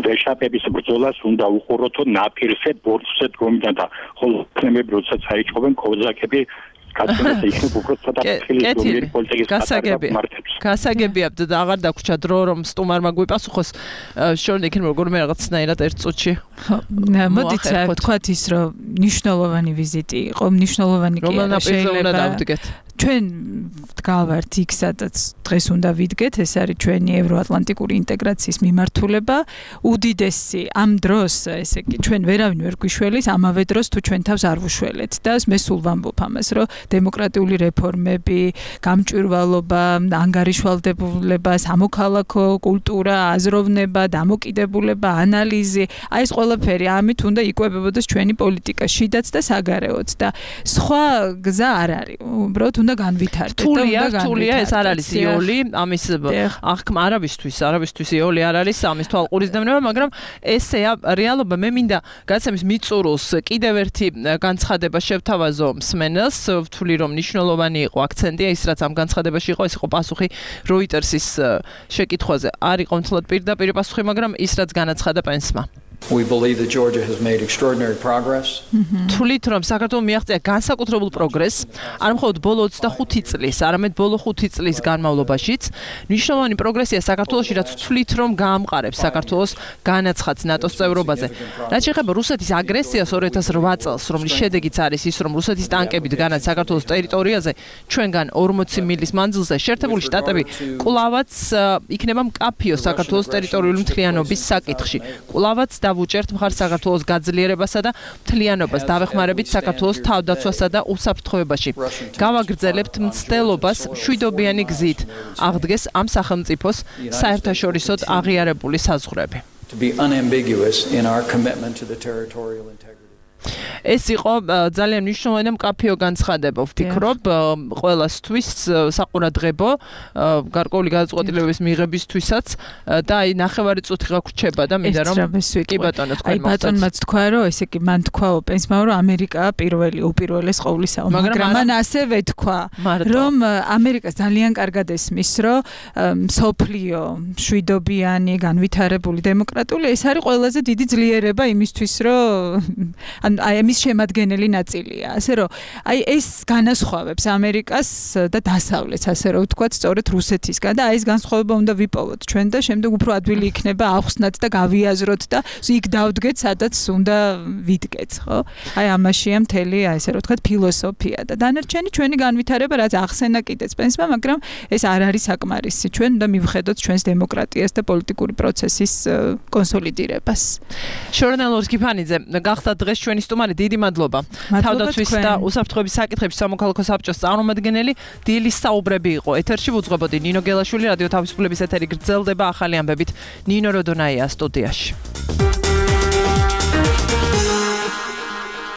ვეშაპების ბრძოლას უნდა უყუროთო ნაპირზე ბორცვზე დგომიდან და ხოლო თემები როდესაც აიჭობენ კოზაკები გასაგებია და აღარ დაგვრჩა დრო რომ სტუმარმა გვიპასუხოს შორნი იქნება როგორმე რაღაცნაირად ერთ წუთში. მოდით ვთქვათ ის რომ მნიშვნელოვანი ვიზიტი იყო, მნიშვნელოვანი კი არა, შეიძლება ჩვენ ვდგავართ იქ, სადაც დღეს უნდა ვიდგეთ, ეს არის ჩვენი ევროატლანტიკური ინტეგრაციის მიმართულება. უდიდესი ამ დროს, ესე იგი, ჩვენ ვერავინ ვერ გვიშველის, ამავე დროს თუ ჩვენ თავს არ ვუშველეთ და მე სულ ვამბობ ამას, რომ დემოკრატიული რეფორმები, გამჭვირვალობა, ანგარიშვალდებულება, სამოქალაქო კულტურა, აზროვნება, დამოკიდებულება, ანალიზი, აი ეს ყველაფერი ამით უნდა იკვებებოდეს ჩვენი პოლიტიკა, შიდაც და საგარეოც და სხვა გზა არ არის. უბრალოდ უნდა განვითარდეთ. თულია ეს არ არის იოლი, ამის აღქმა არავისთვის იოლი არ არის ამის თვალყურის დევნება, მაგრამ ესეა რეალობა. მე მინდა გაცემის მიწურულს კიდევ ერთი განცხადება შევთავაზო მსმენელს, ვთვლი რომ მნიშვნელოვანი იყო აქცენტია ის რაც ამ განცხადებაში იყო, ეს იყო პასუხი Reuters-ის შეკითხვაზე. არ იყო მთლად პირდაპირ პასუხი, მაგრამ ის რაც განაცხადა პენსმა. We believe that Georgia has made extraordinary progress. თვლით რომ საქართველოს მიაღწია განსაკუთრებულ პროგრესს, არ მხოლოდ ბოლო 25 წლის, არამედ ბოლო 5 წლის განმავლობაშიც. მნიშვნელოვანი პროგრესია საქართველოში, რაც თვლით რომ გაამყარებს საქართველოს განაცხადს ნატოს წევრობაზე. რაც შეეხება რუსეთის აგრესიას 2008 წელს, რომლის შედეგიც არის ის, რომ რუსეთის ტანკები დგანან საქართველოს ტერიტორიაზე, ჩვენგან 40 მილის მანძილზე, შეერთებული შტატები კვლავაც იქნება მკაფიო საქართველოს ტერიტორიული მთლიანობის საკითხში. კვლავაც დავუჭერთ მხარს საქართველოს გაძლიერებასა და მთლიანობას, დავეხმარებით საქართველოს თავდაცვასა და უსაფრთხოებაში. გავაგრძელებთ მცდელობას მშვიდობიანი გზით, აღდგეს ამ სახელმწიფოს საერთაშორისოდ აღიარებული საზღვრები. To be unambiguous in our commitment to the territorial integrity. ეს იყო ძალიან მნიშვნელოვანი და მკაფიო განცხადება, ვფიქრობ, ყველასთვის საყურადღებო, გარკვეული გადაწყვეტილებების მიღებისთვისაც და აი ნახევარი წუთი გაგვრჩება და მინდა რომ კი ბატონო თქვენ აი ბატონმაც თქვა რომ ესე კი მან თქვა პენსმა რომ ამერიკა პირველი უპირველეს ყოვლისაა, მაგრამ მან ასევე თქვა რომ ამერიკას ძალიან კარგად ესმის რომ სოფლიო შვიდობიანი განვითარებული დემოკრატიული ეს არის ყველაზე დიდი ძლიერება იმისთვის რომ აი ამის შემადგენელი ნაწილია. ასე რომ აი ეს განასხვავებს ამერიკას და დასავლეთს, ასე რომ ვთქვათ, სწორედ რუსეთისგან და აი ეს განსხვავება უნდა ვიპოვოთ ჩვენ და შემდეგ უფრო ადვილი იქნება ახსნათ და გავიაზროთ და იქ დავდგეთ, სადაც უნდა ვიდგეთ, ხო? აი ამაშია მთელი აი ესე რომ ვთქვათ ფილოსოფია და დანარჩენი ჩვენი განვითარება რაც ახსენა კიდეც პენსმა, მაგრამ ეს არ არის საკმარისი. ჩვენ უნდა მივხედოთ ჩვენს დემოკრატიას და პოლიტიკური პროცესის კონსოლიდირებას. ჟურნალისტ კიფანიძე, გახდა დღეს ჩვენი სტუმარი, დიდი მადლობა. თავდაცვის და უსაფრთხოების საკითხებში სამოქალაქო საბჭოს წარმომადგენელი დილის საუბრები იყო. ეთერში ვუძღვებოდი ნინო გელაშვილი, რადიო თავისუფლების ეთერი გრძელდება ახალი ამბებით. ნინო როდონაია სტუდიაში.